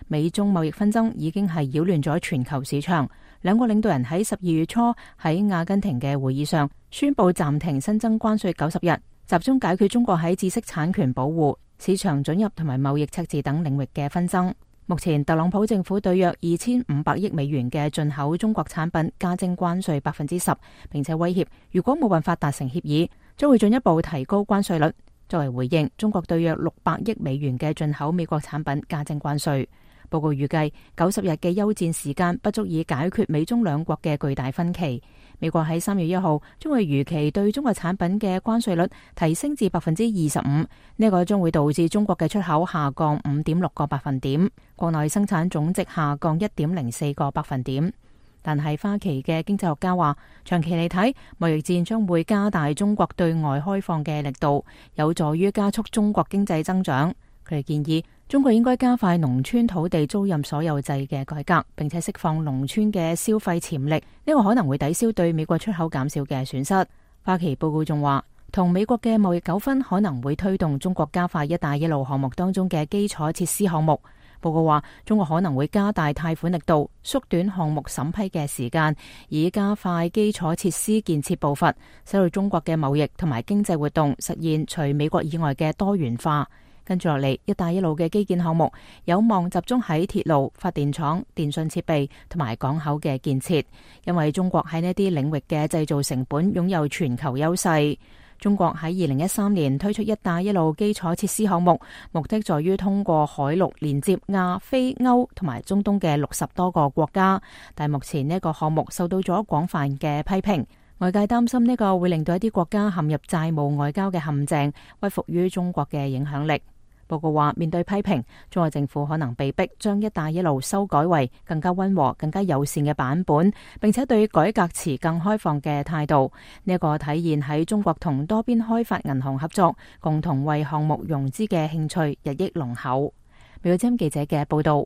Speaker 1: 美中貿易紛爭已經係擾亂咗全球市場。兩個領導人喺十二月初喺阿根廷嘅會議上宣布暫停新增關稅九十日，集中解決中國喺知識產權保護、市場准入同埋貿易赤字等領域嘅紛爭。目前特朗普政府對約二千五百億美元嘅進口中國產品加徵關稅百分之十，並且威脅如果冇辦法達成協議，將會進一步提高關稅率。作為回應，中國對約六百億美元嘅進口美國產品加徵關稅。報告預計九十日嘅休戰時間不足以解決美中兩國嘅巨大分歧。美國喺三月一號將會如期對中國產品嘅關稅率提升至百分之二十五，呢個將會導致中國嘅出口下降五點六個百分點，國內生產總值下降一點零四個百分點。但係花旗嘅經濟學家話，長期嚟睇，貿易戰將會加大中國對外開放嘅力度，有助於加速中國經濟增長。佢哋建議中國應該加快農村土地租賃所有制嘅改革，並且釋放農村嘅消費潛力，呢個可能會抵消對美國出口減少嘅損失。花旗報告仲話，同美國嘅貿易糾紛可能會推動中國加快一帶一路項目當中嘅基礎設施項目。報告話，中國可能會加大貸款力度，縮短項目審批嘅時間，以加快基礎設施建設步伐，使到中國嘅貿易同埋經濟活動實現除美國以外嘅多元化。跟住落嚟，一帶一路嘅基建項目有望集中喺鐵路、發電廠、電信設備同埋港口嘅建設，因為中國喺呢啲領域嘅製造成本擁有全球優勢。中國喺二零一三年推出一帶一路基礎設施項目，目的在於通過海陸連接亞非歐同埋中東嘅六十多個國家，但目前呢個項目受到咗廣泛嘅批評。外界擔心呢個會令到一啲國家陷入債務外交嘅陷阱，屈服於中國嘅影響力。報告話，面對批評，中國政府可能被迫將一帶一路修改為更加溫和、更加友善嘅版本，並且對改革持更開放嘅態度。呢一個體現喺中國同多邊開發銀行合作，共同為項目融資嘅興趣日益濃厚。美國之音記者嘅報道。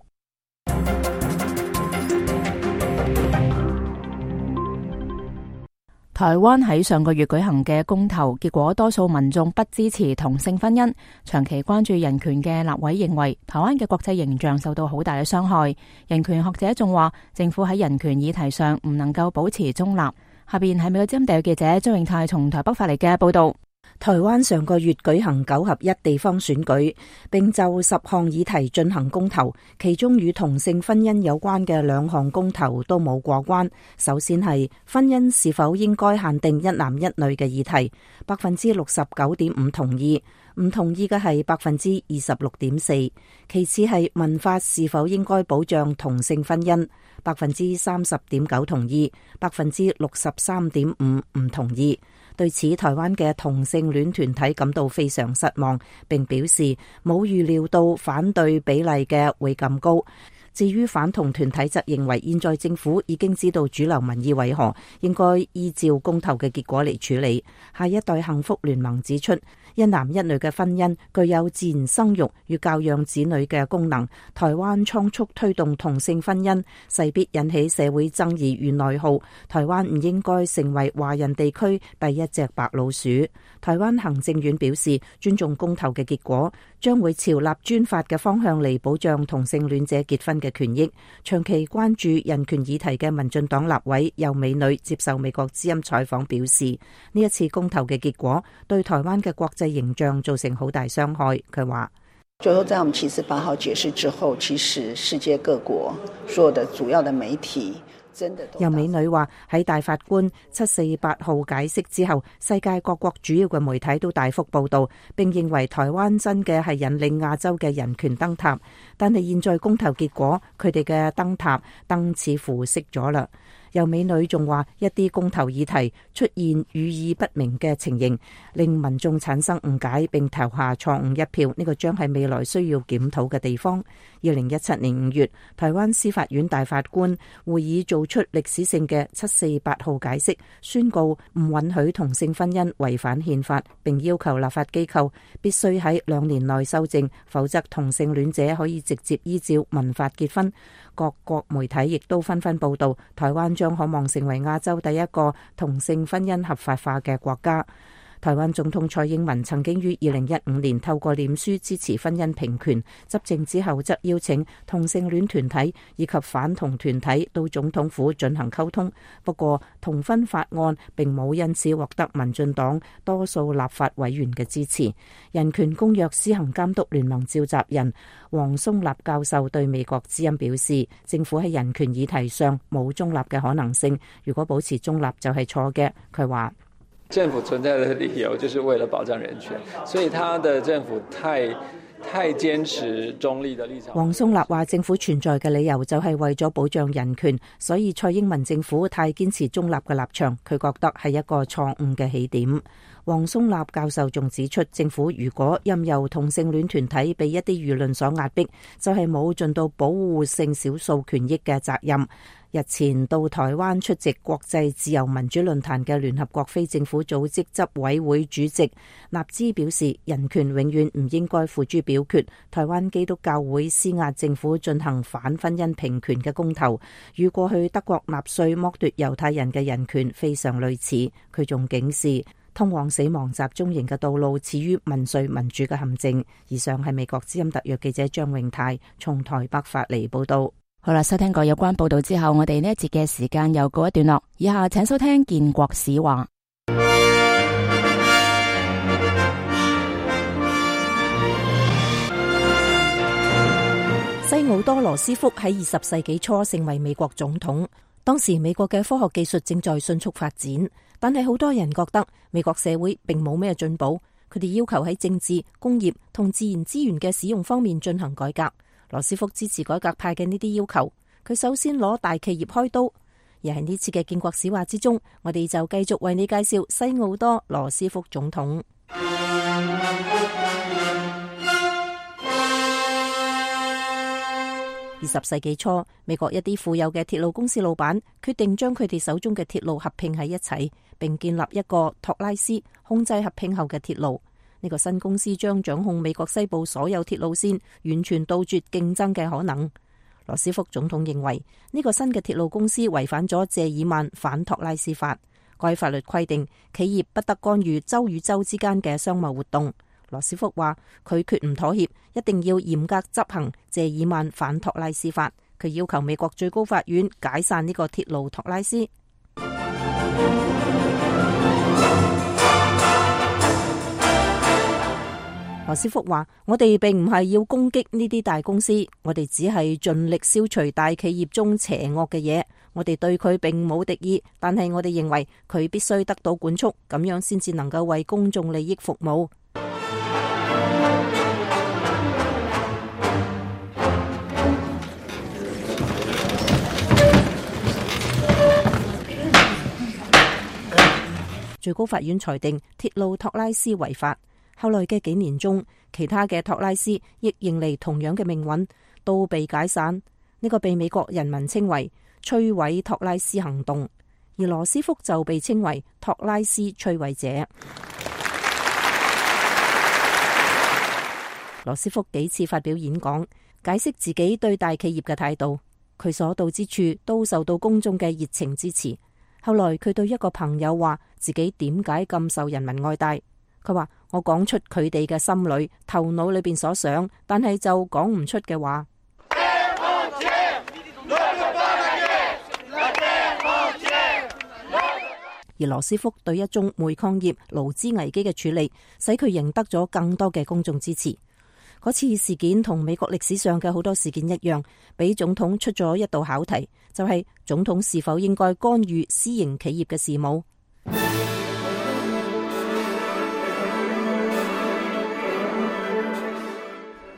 Speaker 1: 台灣喺上個月舉行嘅公投，結果多數民眾不支持同性婚姻。長期關注人權嘅立委認為，台灣嘅國際形象受到好大嘅傷害。人權學者仲話，政府喺人權議題上唔能夠保持中立。下邊係美國之音特約記者張永泰從台北發嚟嘅報道。
Speaker 4: 台灣上個月舉行九合一地方選舉，並就十項議題進行公投，其中與同性婚姻有關嘅兩項公投都冇過關。首先係婚姻是否應該限定一男一女嘅議題，百分之六十九點五同意，唔同意嘅係百分之二十六點四。其次係民法是否應該保障同性婚姻，百分之三十點九同意，百分之六十三點五唔同意。對此，台灣嘅同性戀團體感到非常失望，並表示冇預料到反對比例嘅會咁高。至於反同團體則認為，現在政府已經知道主流民意為何，應該依照公投嘅結果嚟處理。下一代幸福聯盟指出，一男一女嘅婚姻具有自然生育與教養子女嘅功能。台灣倉促推動同性婚姻，勢必引起社會爭議與內耗。台灣唔應該成為華人地區第一隻白老鼠。台灣行政院表示，尊重公投嘅結果，將會朝立專法嘅方向嚟保障同性戀者結婚嘅權益。長期關注人權議題嘅民進黨立委游美女接受美國之音採訪表示，呢一次公投嘅結果對台灣嘅國際形象造成好大傷害。佢話，
Speaker 8: 最後在我們七四八號解釋之後，其實世界各國所有的主要的媒體真的都。
Speaker 4: 游美女話，喺大法官七四八號解釋之後，世界各國主要嘅媒體都大幅報道，並認為台灣真嘅係引領亞洲嘅人權燈塔。但係現在公投結果，佢哋嘅燈塔燈似乎熄咗啦。游美女仲話，一啲公投議題出現語意不明嘅情形，令民眾產生誤解並投下錯誤一票，呢個將係未來需要檢討嘅地方。二零一七年五月，台灣司法院大法官會議做出歷史性嘅七四八號解釋，宣告唔允許同性婚姻違反憲法，並要求立法機構必須喺兩年內修正，否則同性戀者可以直接依照民法結婚。各國媒體亦都紛紛報道，台灣將可望成為亞洲第一個同性婚姻合法化嘅國家。台灣總統蔡英文曾經於二零一五年透過臉書支持婚姻平權，執政之後則邀請同性戀團體以及反同團體到總統府進行溝通。不過，同婚法案並冇因此獲得民進黨多數立法委員嘅支持。人權公約施行監督聯盟召集人黃松立教授對美國之音表示，政府喺人權議題上冇中立嘅可能性，如果保持中立就係錯嘅。佢話，
Speaker 9: 政府存在的理由就是為了保障人權，所以他的政府太太堅持中立的立場。
Speaker 4: 黃松立話，政府存在嘅理由就係為咗保障人權，所以蔡英文政府太堅持中立嘅立場，佢覺得係一個錯誤嘅起點。黃松立教授仲指出，政府如果任由同性戀團體被一啲輿論所壓迫，就係冇盡到保護性少數權益嘅責任。日前到台灣出席國際自由民主論壇嘅聯合國非政府組織執委會主席納茲表示，人權永遠唔應該付諸表決。台灣基督教會施壓政府進行反婚姻平權嘅公投，與過去德國納粹剝奪猶太人嘅人權非常類似。佢仲警示，通往死亡集中營嘅道路始於民粹民主嘅陷阱。以上係美國之音特約記者張永泰從台北發嚟報道。
Speaker 1: 好啦，收聽過有關報道之後，我哋呢一節嘅時間又告一段落。以下請收聽建國史話。
Speaker 4: 西奧多羅斯福喺二十世紀初成為美國總統，當時美國嘅科學技術正在迅速發展，但係好多人覺得美國社會並冇咩進步，佢哋要求喺政治、工業同自然資源嘅使用方面進行改革。羅斯福支持改革派嘅呢啲要求，佢首先攞大企業開刀。而喺呢次嘅建國史話之中，我哋就繼續為你介紹西奧多羅斯福總統。二十世紀初，美國一啲富有嘅鐵路公司老闆決定將佢哋手中嘅鐵路合併喺一齊，並建立一個托拉斯控制合併後嘅鐵路。呢個新公司將掌控美國西部所有鐵路線，完全杜絕競爭嘅可能。羅斯福總統認為呢個新嘅鐵路公司違反咗謝爾曼反托拉斯法，該法律規定企業不得干預州與州之間嘅商貿活動。羅斯福話佢決唔妥協，一定要嚴格執行謝爾曼反托拉斯法。佢要求美國最高法院解散呢個鐵路托拉斯。羅斯福話：我哋並唔係要攻擊呢啲大公司，我哋只係盡力消除大企業中邪惡嘅嘢。我哋對佢並冇敵意，但係我哋認為佢必須得到管束，咁樣先至能夠為公眾利益服務。最高法院裁定鐵路托拉斯違法。後來嘅幾年中，其他嘅托拉斯亦迎嚟同樣嘅命運，都被解散。呢個被美國人民稱為摧毀托拉斯行動，而羅斯福就被稱為托拉斯摧毀者。羅斯福幾次發表演講，解釋自己對大企業嘅態度，佢所到之處都受到公眾嘅熱情支持。後來佢對一個朋友話自己點解咁受人民愛戴，佢話我講出佢哋嘅心裏、頭腦裏邊所想，但係就講唔出嘅話。而羅斯福對一宗煤礦業勞資危機嘅處理，使佢贏得咗更多嘅公眾支持。嗰次事件同美國歷史上嘅好多事件一樣，俾總統出咗一道考題，就係總統是否應該干預私營企業嘅事務。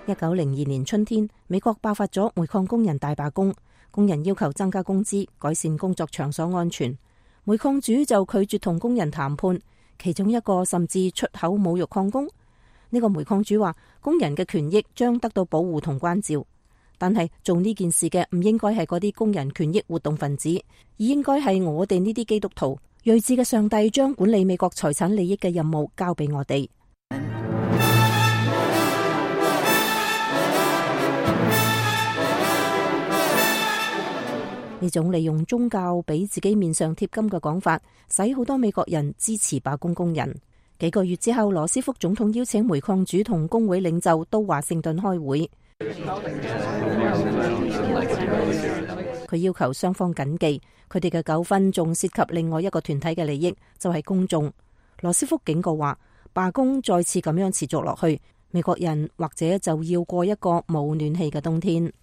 Speaker 4: 一九零二年春天，美國爆發咗煤礦工人大罷工，工人要求增加工資、改善工作場所安全。煤礦主就拒絕同工人談判，其中一個甚至出口侮辱礦工。呢個煤礦主話，工人嘅權益將得到保護同關照，但係做呢件事嘅唔應該係嗰啲工人權益活動分子，而應該係我哋呢啲基督徒。睿智嘅上帝將管理美國財產利益嘅任務交俾我哋。呢種利用宗教俾自己面上貼金嘅講法，使好多美國人支持罷工工人。幾個月之後，羅斯福總統邀請煤礦主同工會領袖到華盛頓開會，佢要求雙方謹記，佢哋嘅糾紛仲涉及另外一個團體嘅利益，就係公眾。羅斯福警告話，罷工再次咁樣持續落去，美國人或者就要過一個冇暖氣嘅冬天。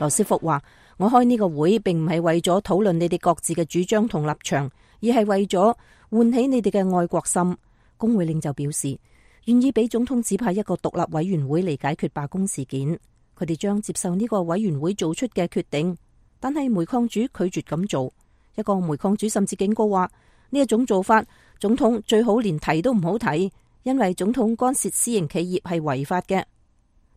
Speaker 4: 羅斯福話，我開呢個會並唔係為咗討論你哋各自嘅主張同立場，而係為咗喚起你哋嘅愛國心。工會領袖表示願意俾總統指派一個獨立委員會嚟解決罷工事件，佢哋將接受呢個委員會做出嘅決定。但係煤礦主拒絕咁做，一個煤礦主甚至警告話，呢一種做法，總統最好連提都唔好提，因為總統干涉私營企業係違法嘅。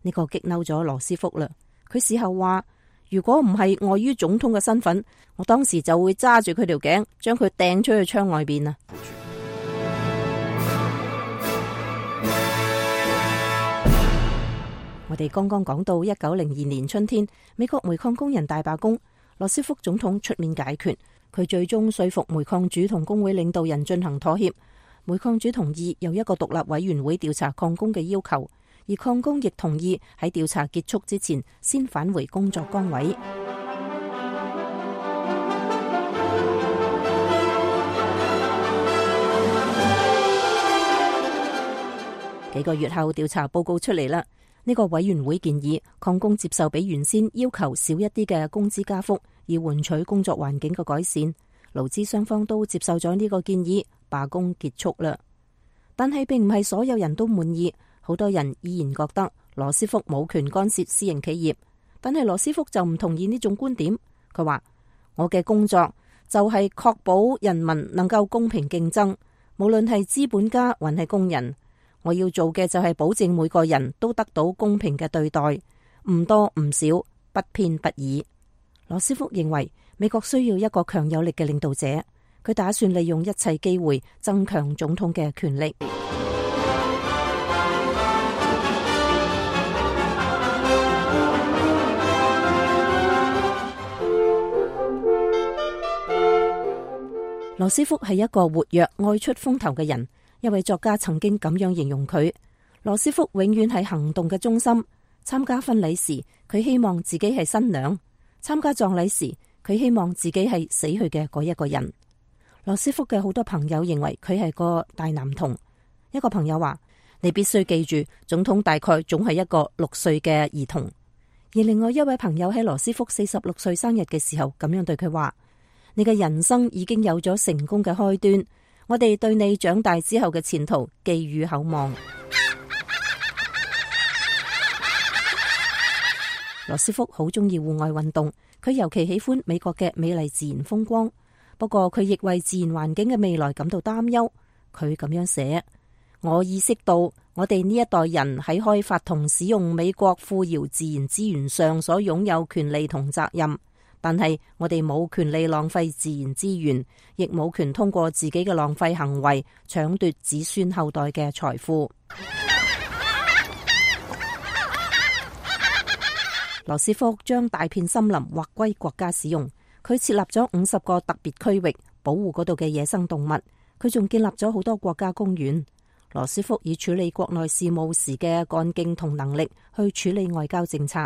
Speaker 4: 呢個激嬲咗羅斯福啦。佢事後話，如果唔係礙於總統嘅身份，我當時就會揸住佢條頸，將佢掟出去窗外邊啊！我哋剛剛講到一九零二年春天，美國煤礦工人大罷工，羅斯福總統出面解決，佢最終說服煤礦主同工會領導人進行妥協，煤礦主同意有一個獨立委員會調查礦工嘅要求。而礦工亦同意喺調查結束之前先返回工作崗位。幾個月後，調查報告出嚟啦。呢個委員會建議礦工接受比原先要求少一啲嘅工資加幅，以換取工作環境嘅改善。勞資雙方都接受咗呢個建議，罷工結束啦。但係並唔係所有人都滿意。好多人依然覺得羅斯福冇權干涉私營企業，但係羅斯福就唔同意呢種觀點。佢話，我嘅工作就係確保人民能夠公平競爭，無論係資本家還係工人。我要做嘅就係保證每個人都得到公平嘅對待，唔多唔少，不偏不倚。羅斯福認為美國需要一個強有力嘅領導者，佢打算利用一切機會增強總統嘅權力。羅斯福係一個活躍、愛出風頭嘅人。一位作家曾經咁樣形容佢：羅斯福永遠係行動嘅中心。參加婚禮時，佢希望自己係新娘；參加葬禮時，佢希望自己係死去嘅嗰一個人。羅斯福嘅好多朋友認為佢係個大男童。一個朋友話：你必須記住，總統大概總係一個六歲嘅兒童。而另外一位朋友喺羅斯福四十六歲生日嘅時候咁樣對佢話：你嘅人生已經有咗成功嘅開端，我哋對你長大之後嘅前途寄予厚望。羅斯福好中意戶外運動，佢尤其喜歡美國嘅美麗自然風光。不過佢亦為自然環境嘅未來感到擔憂。佢咁樣寫：我意識到我哋呢一代人喺開發同使用美國富饒自然資源上所擁有權利同責任，但係我哋冇權利浪費自然資源，亦冇權通過自己嘅浪費行為搶奪子孫後代嘅財富。羅斯福將大片森林劃歸國家使用，佢設立咗五十個特別區域保護嗰度嘅野生動物，佢仲建立咗好多國家公園。羅斯福以處理國內事務時嘅幹勁同能力去處理外交政策。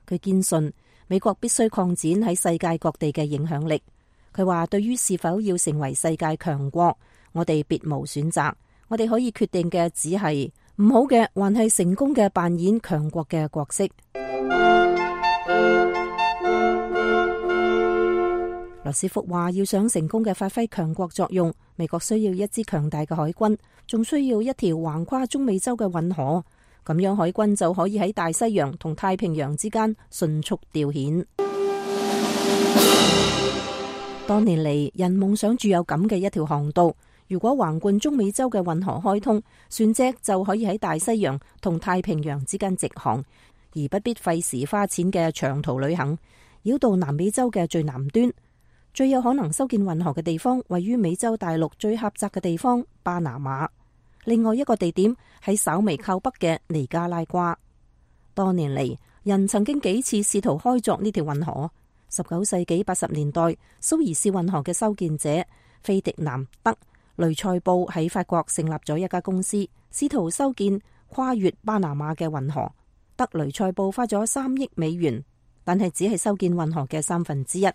Speaker 4: 佢堅信美國必須擴展喺世界各地嘅影響力。佢話對於是否要成為世界強國，我哋別無選擇，我哋可以決定嘅只係唔好嘅，還係成功嘅扮演強國嘅角色。羅斯福話要想成功嘅發揮強國作用，美國需要一支強大嘅海軍，仲需要一條橫跨中美洲嘅運河，咁樣海軍就可以喺大西洋同太平洋之間迅速調遣。多年嚟，人夢想住有咁嘅一條航道，如果橫貫中美洲嘅運河開通，船隻就可以喺大西洋同太平洋之間直航，而不必費時花錢嘅長途旅行，繞到南美洲嘅最南端。最有可能修建運河嘅地方位於美洲大陸最狹窄嘅地方巴拿馬，另外一個地點喺稍微靠北嘅尼加拉瓜。多年嚟，人曾經幾次試圖開鑿呢條運河。十九世紀八十年代，蘇伊士運河嘅修建者費迪南德雷塞布喺法國成立咗一家公司，試圖修建跨越巴拿馬嘅運河。德雷塞布花咗三億美元，但係只係修建運河嘅三分之一。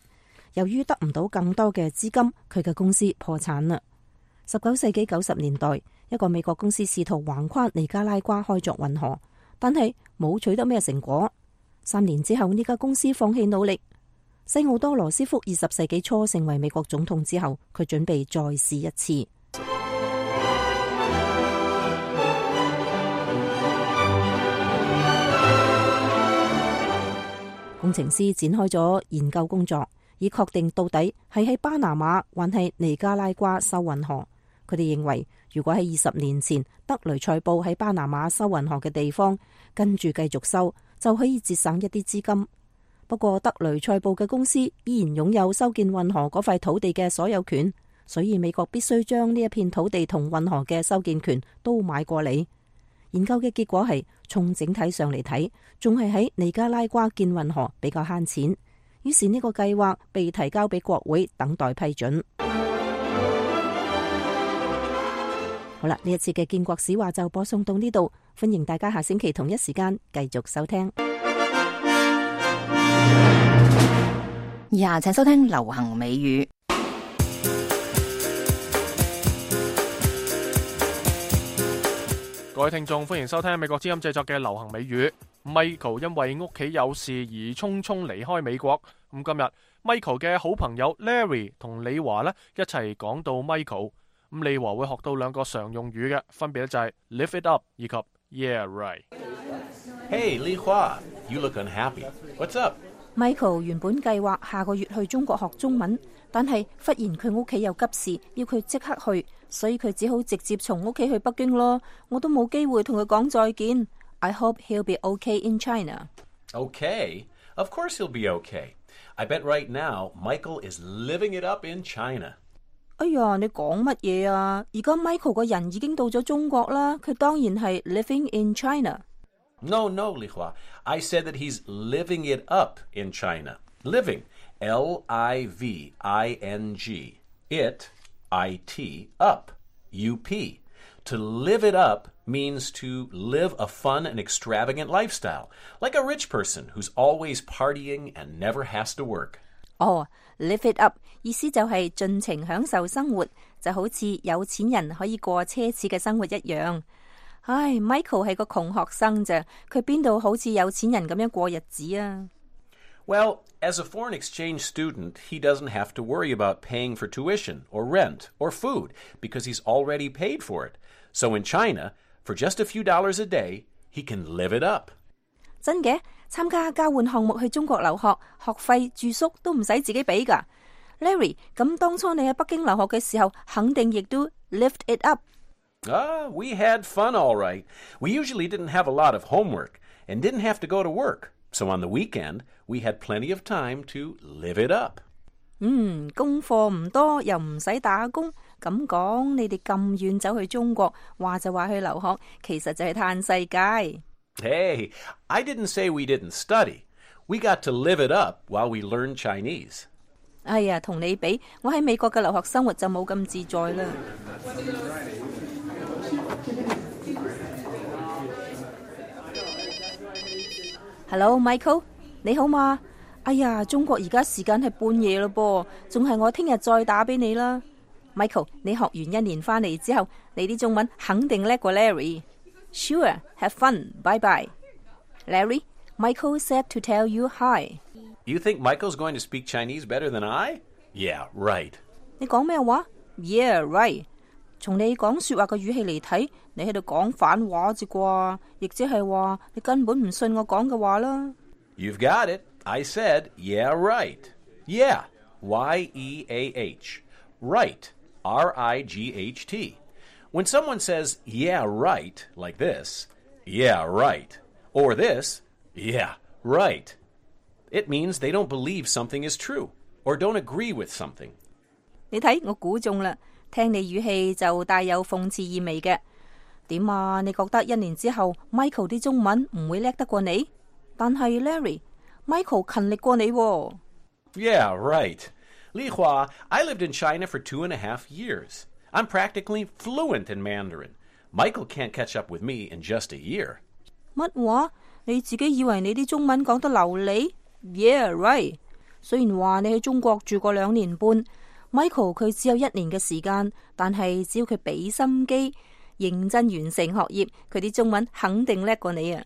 Speaker 4: 由於得唔到更多嘅資金，佢嘅公司破產啦。十九世紀九十年代，一個美國公司試圖橫跨尼加拉瓜開鑿運河，但係冇取得咩成果。三年之後，呢家公司放棄努力。西奧多羅斯福二十世紀初成為美國總統之後，佢準備再試一次。工程師展開咗研究工作，以確定到底係喺巴拿馬還係尼加拉瓜修運河。佢哋認為，如果喺二十年前德雷塞布喺巴拿馬修運河嘅地方跟住繼續修，就可以節省一啲資金。不過德雷塞布嘅公司依然擁有修建運河嗰塊土地嘅所有權，所以美國必須將呢一片土地同運河嘅修建權都買過嚟。研究嘅結果係，從整體上嚟睇，仲係喺尼加拉瓜建運河比較慳錢。於是呢個計劃被提交俾國會等待批准。好啦，呢一次嘅建國史話就播送到呢度，歡迎大家下星期同一時間繼續收聽。
Speaker 1: 以下請收聽流行美語。
Speaker 3: 各位聽眾，歡迎收聽美國之音製作嘅流行美語。Michael 因為屋企有事而匆匆離開美國。咁今日 Michael 嘅好朋友 Larry 同李華呢一齊講到 Michael。咁李華會學到兩個常用語嘅，分別咧就係 lift it up 以及 yeah right。Hey
Speaker 10: 李華 you look unhappy. What's up?
Speaker 4: Michael 原本計劃下個月去中國學中文，但係忽然佢屋企有急事，要佢即刻去，所以佢只好直接從屋企去北京咯。我都冇機會同佢講再見。I hope he'll be okay in China.
Speaker 10: Okay? Of course he'll be okay. I bet right now Michael is living it up in China.
Speaker 4: 哎呀，你講乜嘢啊？而家 Michael 個人已經到咗中國啦，佢當然係 living in China。No,
Speaker 10: no, Li Hua. I said that he's living it up in China. Living, L I V I N G. It, I T, up, U P. To live it up means to live a fun and extravagant lifestyle, like a rich person who's always partying and never has to work.
Speaker 4: 哦、oh,，live it up 意思就係盡情享受生活，就好似有錢人可以過奢侈嘅生活一樣。唉 ，Michael 係個窮學生啫，佢邊度好似有錢人咁樣過日子啊
Speaker 10: ？Well, as a foreign exchange student, he doesn't have to worry about paying for tuition or rent or food because he's already paid for it. So in China, for just a few dollars a day, he can live it up.
Speaker 4: 真嘅，參加交換項目去中國留學，學費住宿都唔使自己俾㗎。Larry， 咁當初你喺北京留學嘅時候，肯定亦都 lived it up。Ah,
Speaker 10: we had fun all right. We usually didn't have a lot of homework and didn't have to go to work. So on the weekend, we had plenty of time to live it up.
Speaker 4: 嗯，功課唔多又唔使打工，咁講你哋咁遠走去中國，話就話去留學，其實就係嘆世界。
Speaker 10: Hey, I didn't say we didn't study. We got to live it up while we learned Chinese.
Speaker 4: 哎呀，同你比，我喺美國嘅留學生活就冇咁自在啦。Hello, Michael， 你好嘛？哎呀，中國而家時間係半夜咯噃，仲係我聽日再打俾你啦。Michael， 你學完一年翻嚟之後，你啲中文肯定叻過 Larry。Sure, have fun. Bye bye. Larry, Michael said to tell you hi.
Speaker 10: You think Michael's going to speak Chinese better than I? Yeah, right.
Speaker 4: 你講咩話 ？Yeah, right. 從你講說話嘅語氣嚟睇，你喺度講反話啫啩，亦即係話你根本唔信我講嘅話啦。
Speaker 10: You've got it. I said, yeah, right. Yeah, Y E A H. Right, R I G H T. When someone says, yeah, right, like this, yeah, right, or this, yeah, right, it means they don't believe something is true, or don't agree with something.
Speaker 4: 你睇，我估中啦，聽你語氣就帶有諷刺意味嘅。點啊？你覺得一年之後 Michael 啲中文唔會叻得過你？但係 Larry，Michael 勤力過你喎。
Speaker 10: Yeah, right. Li Hua, I lived in China for two and a half years. I'm practically fluent in Mandarin. Michael can't catch up with me in just a year.
Speaker 4: 乜話？你自己以為你啲中文講得流利 ？Yeah, right. 雖然話你喺中國住過兩年半 ，Michael 佢只有一年嘅時間，但係只要佢俾心機，認真完成學業，佢啲中文肯定叻過你啊！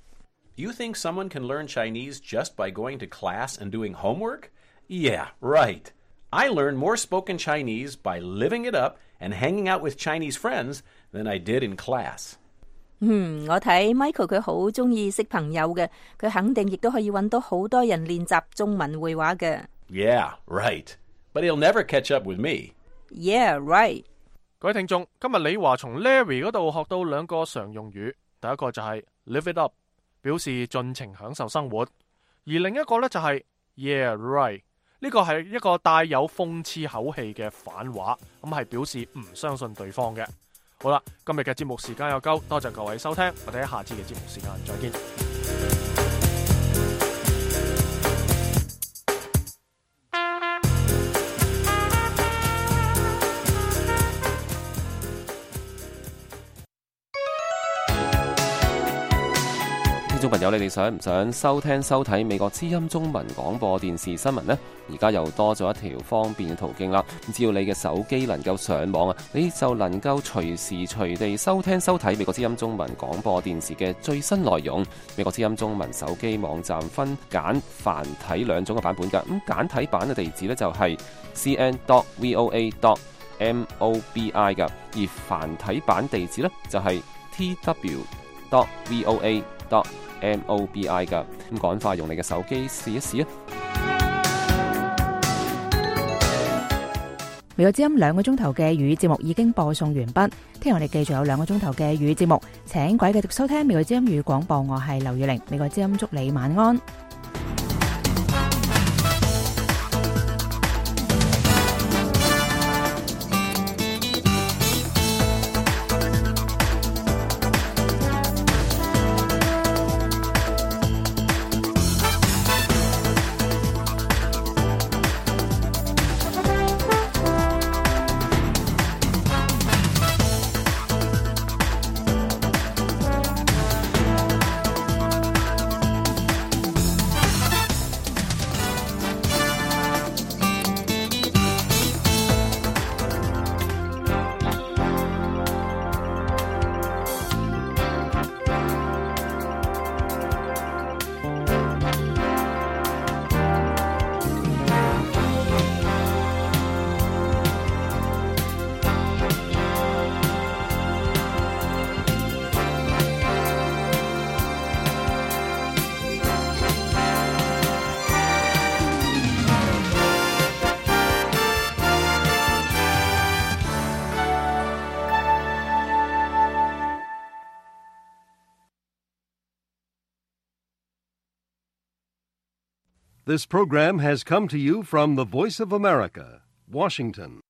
Speaker 10: You think someone can learn Chinese just by going to class and doing homework? Yeah, right. I learned more spoken Chinese by living it up and hanging out with Chinese friends than I did in class.
Speaker 4: 嗯，我睇 Michael 佢好中意識朋友嘅，佢肯定亦都可以揾到好多人練習中文會話嘅。
Speaker 10: Yeah, right. But he'll never catch up with me.
Speaker 4: Yeah, right.
Speaker 3: 各位聽眾，今日李華從 Larry 嗰度學到兩個常用語，第一個就係 live it up， 表示盡情享受生活，而另一個呢就係 yeah, right。呢個係一個帶有諷刺口氣嘅反話，咁係表示唔相信對方嘅。好啦，今日嘅節目時間又夠，多謝各位收聽，我哋喺下次嘅節目時間再見。
Speaker 11: 聽眾朋友，你哋想唔想收聽收睇美國之音中文廣播電視新聞呢？而家又多咗一條方便嘅途徑啦！只要你嘅手機能夠上網啊，你就能夠隨時隨地收聽收睇美國之音中文廣播電視嘅最新內容。美國之音中文手機網站分簡繁體兩種嘅版本㗎。咁簡體版嘅地址呢，就係 c n dot v o a dot m o b i 㗎，而繁體版地址呢，就係 t w dot v o a dot m o b i 㗎。咁趕快用你嘅手機試一試啊！
Speaker 1: 美國之音兩個鐘頭嘅粵語節目已經播送完畢，聽日我哋繼續有兩個鐘頭嘅粵語節目，請各位繼續收聽美國之音粵語廣播，我係劉雨玲，美國之音祝你晚安。
Speaker 12: This program has come to you from the Voice of America, Washington.